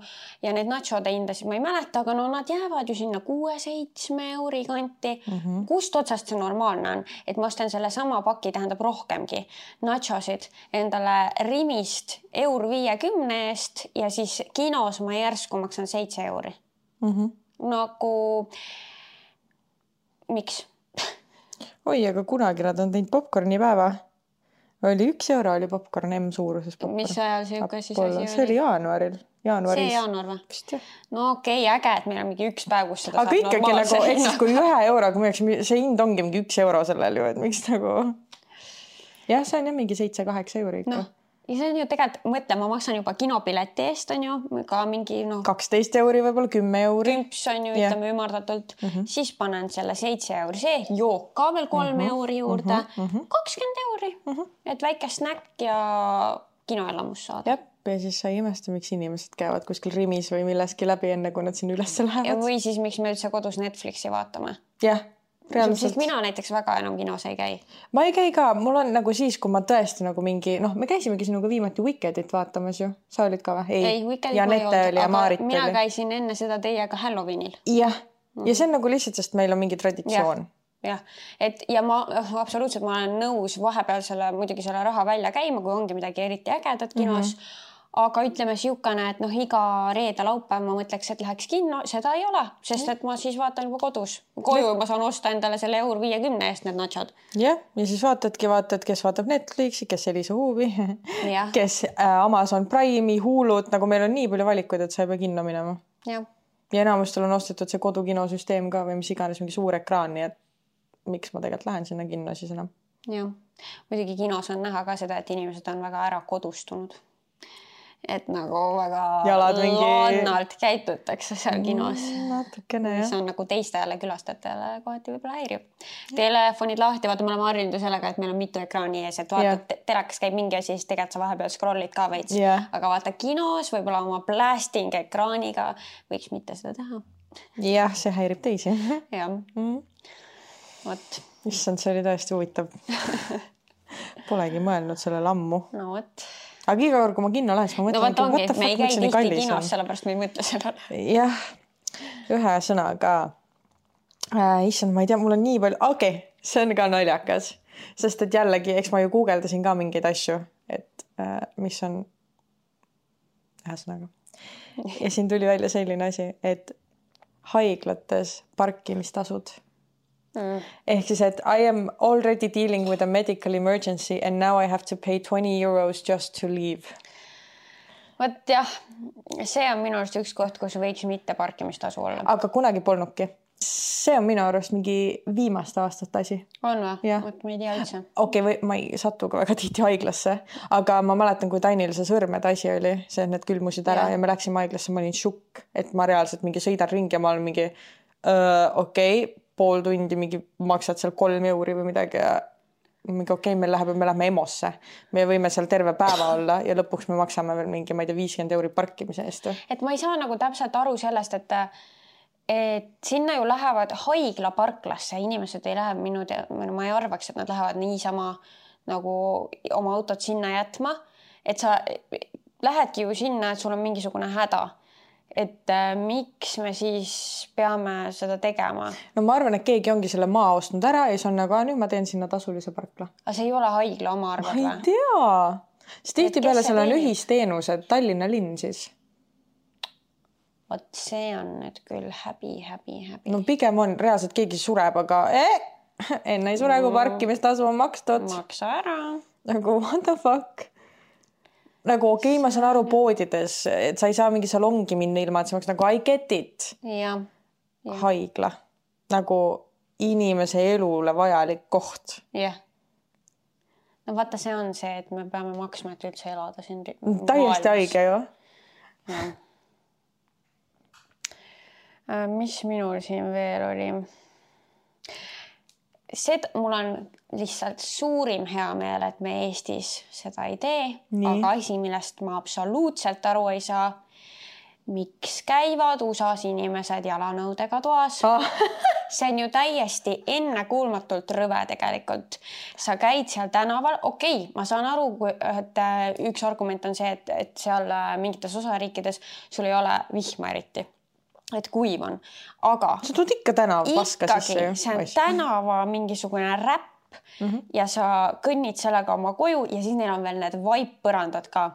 ja need nachode hindasid ma ei mäleta, aga no nad jäävad ju sinna kuue-seitsme euri kanti. Mm -hmm. Kust otsast see normaalne on, et ma ostan selle sama paki, tähendab rohkemgi nachosid endale Rimist eur viiekümne eest ja siis kinos ma järsku maksan seitse euri. Mm -hmm. Nagu miks? Oi, aga kunagi nad on teinud popcorni päeva. Oli üks euro oli popcorn M-suuruses popcorn. Mis ajal see üks asi oli? See oli jaanuaril. Jaanuaris. See jaanuar või? No okei, okay, äge, et meil on mingi üks päev, kus seda aga saab ikkagi normaalse. Nagu, eks kui ühe euroga müüks, see hind ongi mingi üks euro sellel ju, et miks nagu... Jah, see on jah mingi seitse-kaheksa euri ikka. No. Ja see on ju tegelikult, mõtle, ma maksan juba kinopileti eest, on ju, ka mingi no, kaksteist euri, võib-olla kümme euri. Kümps on ju, ütleme ümardatult. Mm -hmm. Siis panen selle seitse euri, see jook ka veel kolme mm -hmm. euri juurde. Mm -hmm. kakskümmend euri, mm -hmm. et väike snäkk ja kinoelamus saada. Jep, ja siis sa ei imesta, miks inimesed käivad kuskil Rimis või milleski läbi enne, kui nad sinna üles lähevad. Ja või siis, miks me üldse kodus Netflixi vaatame. Jah. Sest mina näiteks väga enam kinos ei käi. Ma ei käi ka, mul on nagu siis, kui ma tõesti nagu mingi, noh, me käisimegi sinuga viimati Wickedit vaatamas ju. Sa olid ka või? Ei, ei Wickedit ja ma ei olnud, aga Maarit mina oli. Käisin enne seda teiega Halloweenil. Jah, mm. ja see on nagu lihtsalt, sest meil on mingi traditsioon. Ja, ja. Et, ja ma absoluutselt ma olen nõus vahepeal selle, muidugi selle raha välja käima, kui ongi midagi eriti ägedat kinos. Mm -hmm. Aga ütleme siukene, et noh, iga reede laupäev ma mõtleks, et läheks kinno, seda ei ole, sest et ma siis vaatan juba kodus. Koju ma saan osta endale selle eur viiekümne eest need nachod. Jah, ja siis vaatadki, vaatad, kes vaatab Netflixi, kes Elisa Huubi, kes Amazon Prime'i, Hulud, nagu meil on nii palju valikuid, et sa ei pea kinno minema. Ja, ja enamustel on ostetud see kodukinosüsteem ka või mis iganes mingi suur ekraan, nii et miks ma tegelikult lähen sinna kinno siis enam. Jah, muidugi kinos on näha ka seda, et inimesed on väga ära kodustunud. Et nagu väga mingi... lannalt käitutakse seal kinos. Natukene, jah. See on nagu teistele külastajatele kohati võib-olla häirib. Telefonid lahti, vaata, me oleme harjunud sellega, et meil on mitu ekraani ees, et vaata, yeah. telekas käib mingi asi, siis tegelikult sa vahepeal scrollid ka veits. Yeah. Aga vaata kinos võib-olla oma blasting ekraaniga võiks mitte seda teha. Jah, see häirib teisi. Jah. Mm. Vot. Issand, see oli tõesti huvitav. Polegi mõelnud sellele ammu. No vot. aga iga kord, kui ma kinno lähen, siis ma mõtlen, no, vaata ongi, me ei käi tihti kinos, sellepärast me ei mõtle sellele. Jah, ühe sõnaga. Äh, issand, ma ei tea, mul on nii palju, okei, okay, see on ka naljakas, sest et jällegi, eks ma ju guugeldasin ka mingeid asju, et äh, mis on ühe sõnaga. Ja siin tuli välja selline asi, et haiglates parkimistasud. Mm. Ehk siis, et I am already dealing with a medical emergency and now I have to pay twenty euros just to leave. Võt jah, see on minu arust üks koht, kus võiks mitte parkimistasu olla. Aga kunagi polnudki. See on minu arust mingi viimaste aastate asi. On või? Võt ma ei tea üldse. Okei, okay, ma ei satu ka väga tihti haiglasse, aga ma mäletan, kui Tainil see sõrmede asi oli, see, et need külmusid ära ja, ja me läksime haiglasse, ma olin šukk, et ma reaalselt mingi sõidan ringi ja ma olen mingi okei, okay, pool tundi mingi maksad seal kolm euri või midagi ja mingi okei, okay, meil läheb, me läheme EMO-sse. Me võime seal terve päeva olla ja lõpuks me maksame veel mingi, ma ei tea, viiskümmend euri parkimise eest. Et ma ei saa nagu täpselt aru sellest, et et sinna ju lähevad haiglaparklasse, inimesed ei lähe minu te-, ma ei arvaks, et nad lähevad niisama nagu oma autot sinna jätma, et sa lähedki ju sinna, et sul on mingisugune häda. Et äh, miks me siis peame seda tegema? No ma arvan, et keegi ongi selle maa ostnud ära ja siis on nagu, nüüd ma teen sinna tasulise parkla. Aga see ei ole haigla oma arvad või? Ma ei tea. Siis tihti peale seal on ühisteenused, Tallinna linn siis. Vot see on nüüd küll häbi, häbi, häbi. No pigem on reaalselt keegi sureb, aga eh, enne ei sure, kui parkimistasu on makstud. Maksa ära. Nagu what the fuck? Nagu okei, okay, ma saan aru poodides, et sa ei saa mingi salongi minna ilma, et sa maks nagu I get it. Ja, ja. Haigla. Nagu inimese elule vajalik koht. Jah. No vaata, see on see, et me peame maksma, et üldse elada siin. Täiesti haige ju. Ja. Mis minul siin veel oli? Seda, mul on lihtsalt suurim hea meel, et me Eestis seda ei tee, nii. Aga asi, millest ma absoluutselt aru ei saa, miks käivad U S A-s inimesed jalanõudega toas. Ah. See on ju täiesti ennekuulmatult rõve tegelikult. Sa käid seal tänaval, okei, okay, ma saan aru, et üks argument on see, et, et seal mingites osariikides sul ei ole vihma eriti. Et kuiv on, aga sa tuud ikka tänava paska sisse ju. See on tänava mingisugune räpp mm -hmm. ja sa kõnnid sellega oma koju ja siis neil on veel need vaippõrandad ka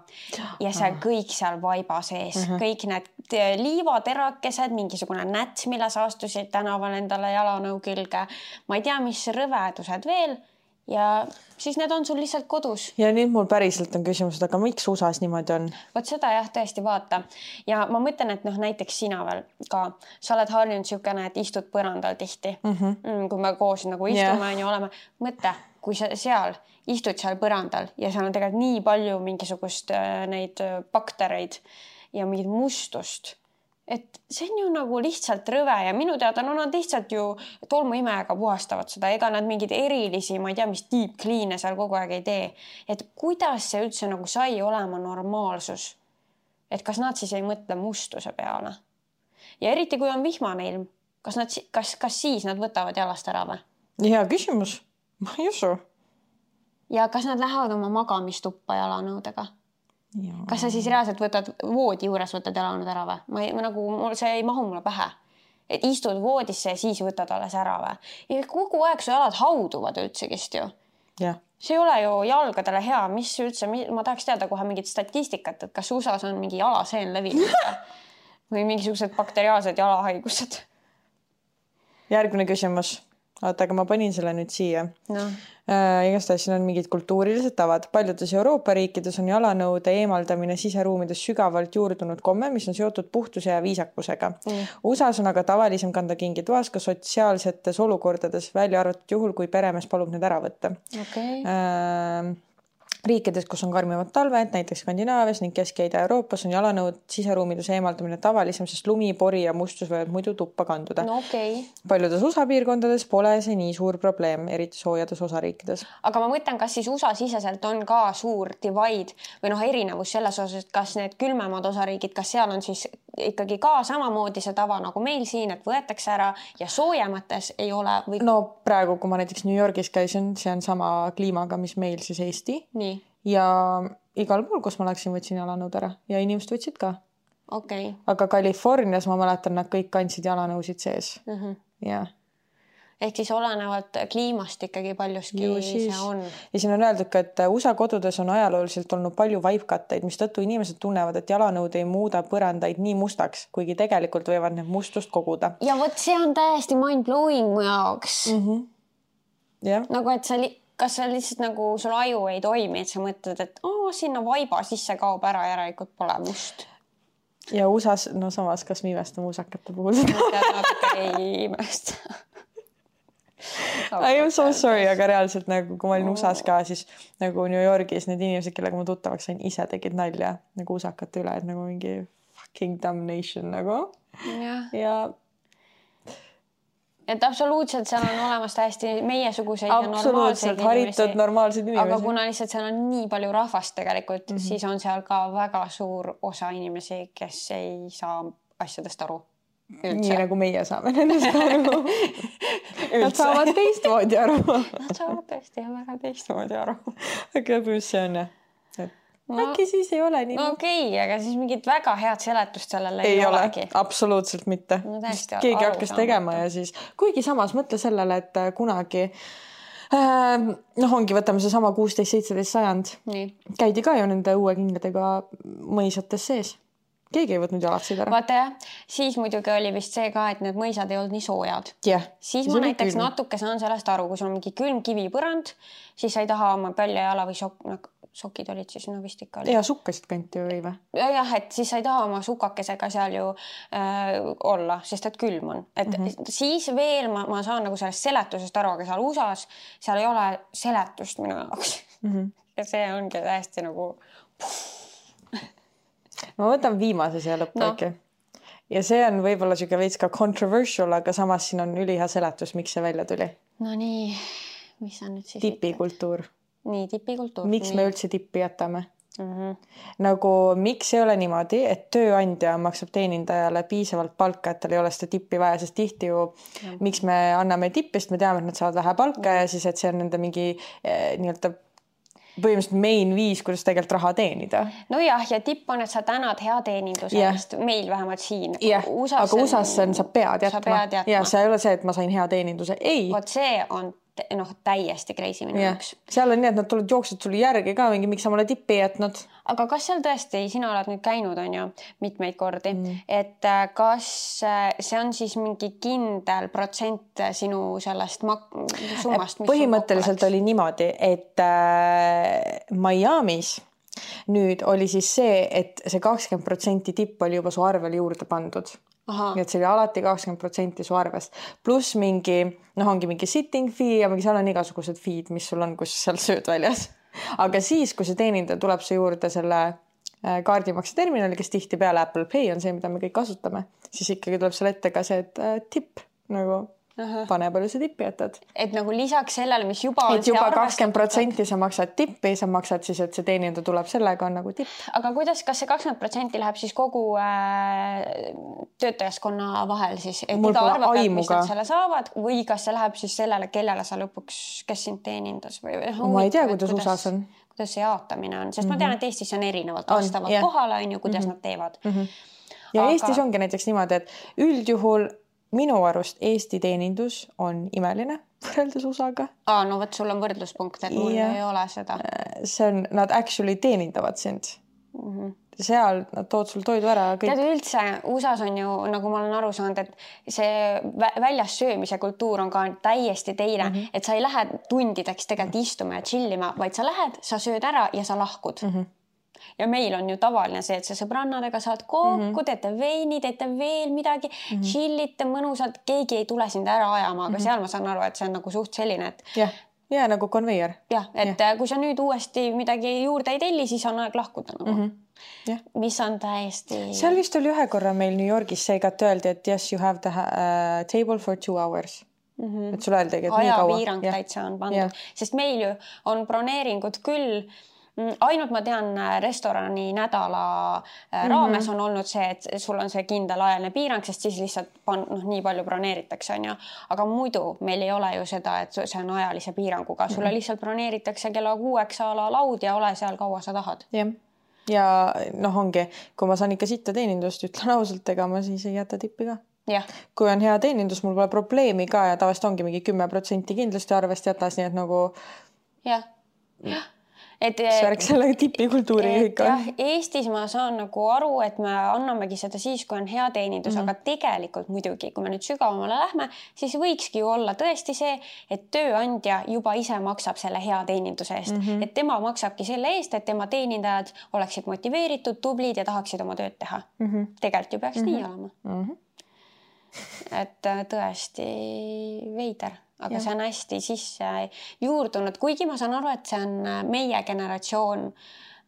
ja see kõik seal vaiba sees mm -hmm. kõik need liivaterakesed, mingisugune näts, mille sa astusid tänaval endale jalanõu külge, ma ei tea, mis rõvedused veel ja siis need on sul lihtsalt kodus. Ja nüüd mul päriselt on küsimus, aga miks U S A-s niimoodi on? Vot seda jah, tõesti vaata. Ja ma mõtlen, et noh, näiteks sina veel ka, sa oled harjunud siukene, et istud põrandal tihti. Mm -hmm. Kui me koos nagu istume yeah. ja oleme, mõtle, kui sa seal istud seal põrandal ja seal on tegelikult nii palju mingisugust neid baktereid ja mingit mustust, et see on ju nagu lihtsalt rõve ja minu teada no nad lihtsalt ju tolmuimega puhastavad seda, ega nad mingid erilisi, ma ei tea, mis deep clean'e seal kogu aeg ei tee. Et kuidas see üldse nagu sai olema normaalsus? Et kas nad siis ei mõtle mustuse peale? Ja eriti kui on vihmane ilm, kas, nad, kas, kas siis nad võtavad jalast ära või? Hea küsimus, ma ei usu. Ja kas nad lähevad oma magamistuppa jalanõudega? Ja. Kas sa siis reaalselt võtad voodi juures, võtad jalanõud ära või? Ma, ei, ma nagu, see ei mahu mulle pähe. Et istud voodisse ja siis võtad alles ära või? Ja kogu aeg su jalad hauduvad üldsegist ju. Ja. See ei ole ju jalgadele hea. Mis üldse, ma tahaks teada kohe mingit statistikat, et kas U S A-s on mingi jalaseen levinud või mingisugused bakteriaalsed jalahaigused. Järgmine küsimus. Oota, aga ma panin selle nüüd siia. No. Äh, igastahes siin on mingid kultuurilised tavad. Paljudes Euroopa riikides on jalanõude eemaldamine siseruumides sügavalt juurdunud komme, mis on seotud puhtuse ja viisakusega. Mm. U S A-s on aga tavalisem kanda kingi toas ka sotsiaalsetes olukordades, välja arvatud juhul, kui peremees palub need ära võtta. Okay. Äh, riikides, kus on karmivad talved, näiteks Skandinaavias ning Kesk- ja Ida-Euroopas on jalanõud siseruumides eemaldamine tavalisem, sest lumi, pori ja mustus võivad muidu tuppa kanduda. No okay. Paljudes U S A piirkondades pole see nii suur probleem, eriti soojades osariikides. Aga ma mõtlen, kas siis U S A siseselt on ka suur divide või noh, erinevus selles osas, et kas need külmemad osariigid, kas seal on siis ikkagi ka samamoodi see tava nagu meil siin, et võetakse ära ja soojemates ei ole või... No praegu, kui ma näiteks New Yorgis käisin, see on sama kliimaga, mis meil siis Eesti. Nii. ja igal pool, kus ma läksin, võtsin jalanõud ära ja inimesed võtsid ka. Okay. Aga Californias ma mäletan, nad kõik kandsid jalanõusid sees. Mm-hmm. Ja. Ehk siis olenevalt kliimast ikkagi paljuski siis, see on. Ja siin on öeldud ka, et U S A kodudes on ajalooliselt olnud palju vaipkatteid, mis tõttu inimesed tunnevad, et jalanõud ei muuda põrandaid nii mustaks, kuigi tegelikult võivad need mustust koguda. Ja võt see on täiesti mind-blowing mu jaoks. Mm-hmm. Yeah. Nagu, et sa, li- kas sa lihtsalt nagu sul aju ei toimi, et sa mõtled, et oh, sinna vaiba sisse kaob ära, järelikult pole must. Ja U S A-s, no samas, kas me imestame usakate puhul seda? Natuke ei imesta. I am so sorry, aga reaalselt nagu kui ma olin U S A-s ka, siis nagu New Yorgis need inimesed, kellega ma tuttavaks sain, ise tegid nalja nagu usakate üle, et nagu mingi fucking damnation nagu. Ja. ja et absoluutselt seal on olemas täiesti meiesuguseid ja normaalseid haritud normaalseid inimesi. Aga kuna lihtsalt seal on nii palju rahvast tegelikult, mm-hmm. siis on seal ka väga suur osa inimesi, kes ei saa asjadest aru. Üldse. Nii nagu meie saame nendest aru. Nad saavad teistmoodi aru. Nad saavad tõesti väga teistmoodi aru. Aga mis see on? Et no, äkki siis ei ole nii. No okei, okay, aga siis mingit väga head seletust sellele ei, ei ole olegi. Absoluutselt mitte. No, keegi hakkas tegema ja siis, kuigi samas mõtle sellele, et kunagi äh, noh, ongi, võtame see sama kuusteist seitseteist sajand. Nii. Käidi ka ju nende uue kingadega mõisates sees. Keegi ei võtnud jalatsid ära. Vaata jah, siis muidugi oli vist see ka, et need mõisad ei olnud nii soojad. Yeah. Siis ma näiteks külm. Natuke saan sellest aru, kui sul on mingi külm kivipõrand, siis sa ei taha oma pölja jala või sok, no, sokid olid siis, no vist ikka oli. Ja sukkasid kanti või või? Jah, et siis sa ei taha oma sukakesega seal ju äh, olla, sest et külm on. Et mm-hmm. siis veel ma, ma saan nagu sellest seletusest aru, aga seal U S A-s seal ei ole seletust minu jaoks. Mm-hmm. Ja see ongi täiesti nagu... Ma võtan viimase siia lõppu no. äkki. Ja see on võib-olla siuke veits ka controversial, aga samas siin on ülihea seletus, miks see välja tuli. No nii, mis on nüüd siis? Tipikultuur. Nii, tipikultuur. Miks nii. me üldse tippi jätame? Mm-hmm. Nagu miks ei ole niimoodi, et tööandja maksab teenindajale piisavalt palka, et tal ei ole seda tippi vaja, sest tihti ju ja. Miks me anname tippist, me teame, et nad saavad vähe palka ja, ja siis, et see on nende mingi eh, nii-öelda põhimõtteliselt main viis, kuidas tegelikult raha teenida. No jah, ja tipp on, et sa tänad hea teeninduse yeah. eest, meil vähemalt siin. Yeah. aga U S A-s on, sa pead jätma. Sa pead jätma. Ja see ei ole see, et ma sain hea teeninduse. Ei. Vot see on noh, täiesti crazy minu jaoks. Yeah. Seal on nii, et nad tulevad jooksud sulle järgi ka mingi, miks sa mulle tippi jätnud. Aga kas seal tõesti, sina oled nüüd käinud, on ju, mitmeid kordi, mm. et kas see on siis mingi kindel protsent sinu sellest mak- summast? Põhimõtteliselt oli niimoodi, et äh, Miami's nüüd oli siis see, et see kakskümmend protsenti tipp oli juba su arvel juurde pandud. Aha. Nii et see oli alati kakskümmend protsenti su arvest. Plus mingi, noh ongi mingi sitting fee ja mingi seal on igasugused feed, mis sul on, kus seal sööd väljas. Aga siis, kui see teenindaja tuleb see juurde selle kaardimakse terminali, kes tihti peale Apple Pay on see, mida me kõik kasutame, siis ikkagi tuleb seal ette ka see, et äh, tipp nagu Aha. pane palju see tippi jätad. Et nagu lisaks sellele, mis juba on... Et juba kakskümmend protsenti sa maksad tippi, sa maksad siis, et see teenindaja tuleb sellega on nagu tipp. Aga kuidas, kas see kakskümmend protsenti läheb siis kogu äh, töötajaskonna vahel siis? Et Mul iga arva pealt, mis nad selle saavad või kas see läheb siis sellele, kellele sa lõpuks, kes sind teenindas? Või, ma ei tea, kuidas U S A-s on. Kuidas see jaotamine on, sest mm-hmm. ma tean, et Eestis on erinevalt vastavad yeah. kohale, on ju, kuidas mm-hmm. nad teevad. Mm-hmm. Ja Aga... Eestis ongi näiteks niimoodi, et üldjuhul minu arust Eesti teenindus on imeline võrreldes U S A-ga. Aa, no võt, sul on võrdluspunkt, et mul ja. Ei ole seda. See on, nad actually teenindavad sind. Mm-hmm. Seal nad tood sul toidu ära. Kõik. Tead üldse, U S A-s on ju, nagu ma olen aru saanud, et see väljas söömise kultuur on ka täiesti teine, mm-hmm. et sa ei lähe tundideks tegelikult istuma ja chillima, vaid sa lähed, sa sööd ära ja sa lahkud. Mm-hmm. Ja meil on ju tavaline see, et sa sõbrannadega saad kokku, mm-hmm. teete veini, teete veel midagi, mm-hmm. chillite mõnusalt, keegi ei tule sind ära ajama, aga mm-hmm. seal ma saan aru, et see on nagu suht selline, et... Yeah. Ja nagu konveier. Jah, et ja. Kui sa nüüd uuesti midagi juurde ei telli, siis on aeg lahkuda nagu. Mm-hmm. Ja. Mis on täiesti... Seal vist oli ühe korra meil New Yorgis see igat öeldi, et yes, you have the uh, table for two hours. Mm-hmm. Et sul öeldigi, et Aja nii kaua. Ajapiirang täitsa on pandud. Ja. Sest meil ju on broneeringud küll ainult ma tean restorani nädala raames mm -hmm. on olnud see, et sul on see kindel ajaline piirang, sest siis lihtsalt pan, noh, nii palju broneeritakse, on ju. Aga muidu meil ei ole ju seda, et see on ajalise piiranguga. Sulle mm -hmm. lihtsalt broneeritakse kella kuueks ala laud ja ole seal kaua sa tahad. Jah. Ja noh, ongi, kui ma saan ikka sitta teenindust, ütlen ausalt, ega ma siis ei jäta tippi ka. Ja. Kui on hea teenindus, mul pole probleemi ka ja tavaliselt ongi mingi kümme protsenti kindlasti arvest jätas, nii et nagu... Jah, jah. Et, Särk selle tipikultuuri ikka. Jah, Eestis ma saan nagu aru, et me annamegi seda siis, kui on hea teenindus, mm -hmm. aga tegelikult muidugi, kui me nüüd sügavamale lähme, siis võikski ju olla tõesti see, et tööandja juba ise maksab selle hea teeninduse eest. Mm -hmm. Et tema maksabki selle eest, et tema teenindajad oleksid motiveeritud, tublid ja tahaksid oma tööd teha. Mm -hmm. Tegelikult ju peaks mm -hmm. nii olema. Mm -hmm. Et tõesti veider. Aga ja. See on hästi sisse juurdunud, kuigi ma saan aru, et see on meie generatsioon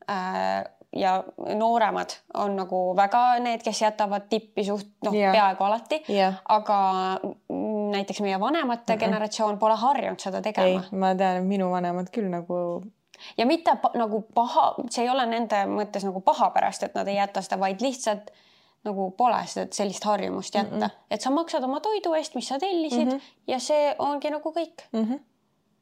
äh, ja nooremad on nagu väga need, kes jätavad tippi suht, noh, ja. Peaaegu alati, ja. Aga näiteks meie vanemate uh -huh. generatsioon pole harjunud seda tegema. Ei, ma tean, et minu vanemad küll nagu... Ja mitte pa, nagu paha, see ei ole nende mõttes nagu paha pärast, et nad ei jäta seda, vaid lihtsalt nagu pole seda sellist harjumust jätta. Mm -mm. Et sa maksad oma toidu eest, mis sa tellisid mm -hmm. ja see ongi nagu kõik. Mm -hmm.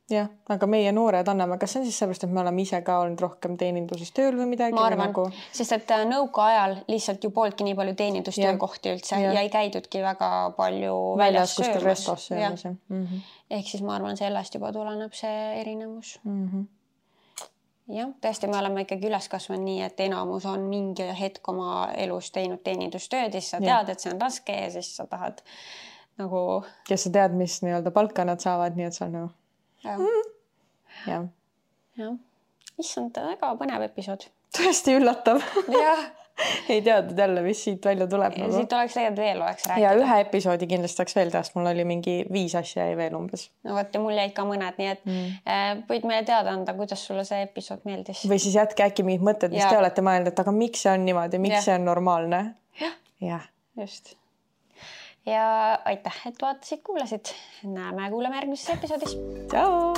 Jah, aga meie noored anname, kas see on siis sellepärast, et me oleme ise ka olnud rohkem teeninduses tööl või midagi? Ma arvan, nagu... sest et nõuka ajal lihtsalt ju pooltki nii palju teenindustöökohti üldse ja. ja ei käidudki väga palju väljas söömas. Mm -hmm. Ehk siis ma arvan, sellest juba tuleneb see erinevus. Mm -hmm. Jah, tõesti, me oleme ikkagi üles kasvanud nii, et enamus on mingi hetk oma elus teinud teenindustööd, siis sa tead, ja. Et see on raske ja siis sa tahad nagu... Kes sa tead, mis nii-öelda palka nad saavad, nii et sa on nagu... Ja. Mm. Ja. Ja. Issand, väga põnev episood. Tõesti üllatav. Jah. Ei teadnud jälle, mis siit välja tuleb. Nagu. Siit oleks tegelikult veel oleks rääkida. Ja ühe episoodi kindlasti saaks veel teha, mul oli mingi viis asja ja veel umbes. No võt, mul jäid ka mõned, nii et mm. äh, võid meile teada anda, kuidas sulle see episood meeldis. Või siis jätke äkki mingid mõtted, mis ja. Te olete mõelnud, et aga miks see on niimoodi, miks ja. See on normaalne. Jah, ja. Just. Ja aitäh, et vaatasid, kuulasid. Näeme, kuuleme järgmises episoodis. Tšau!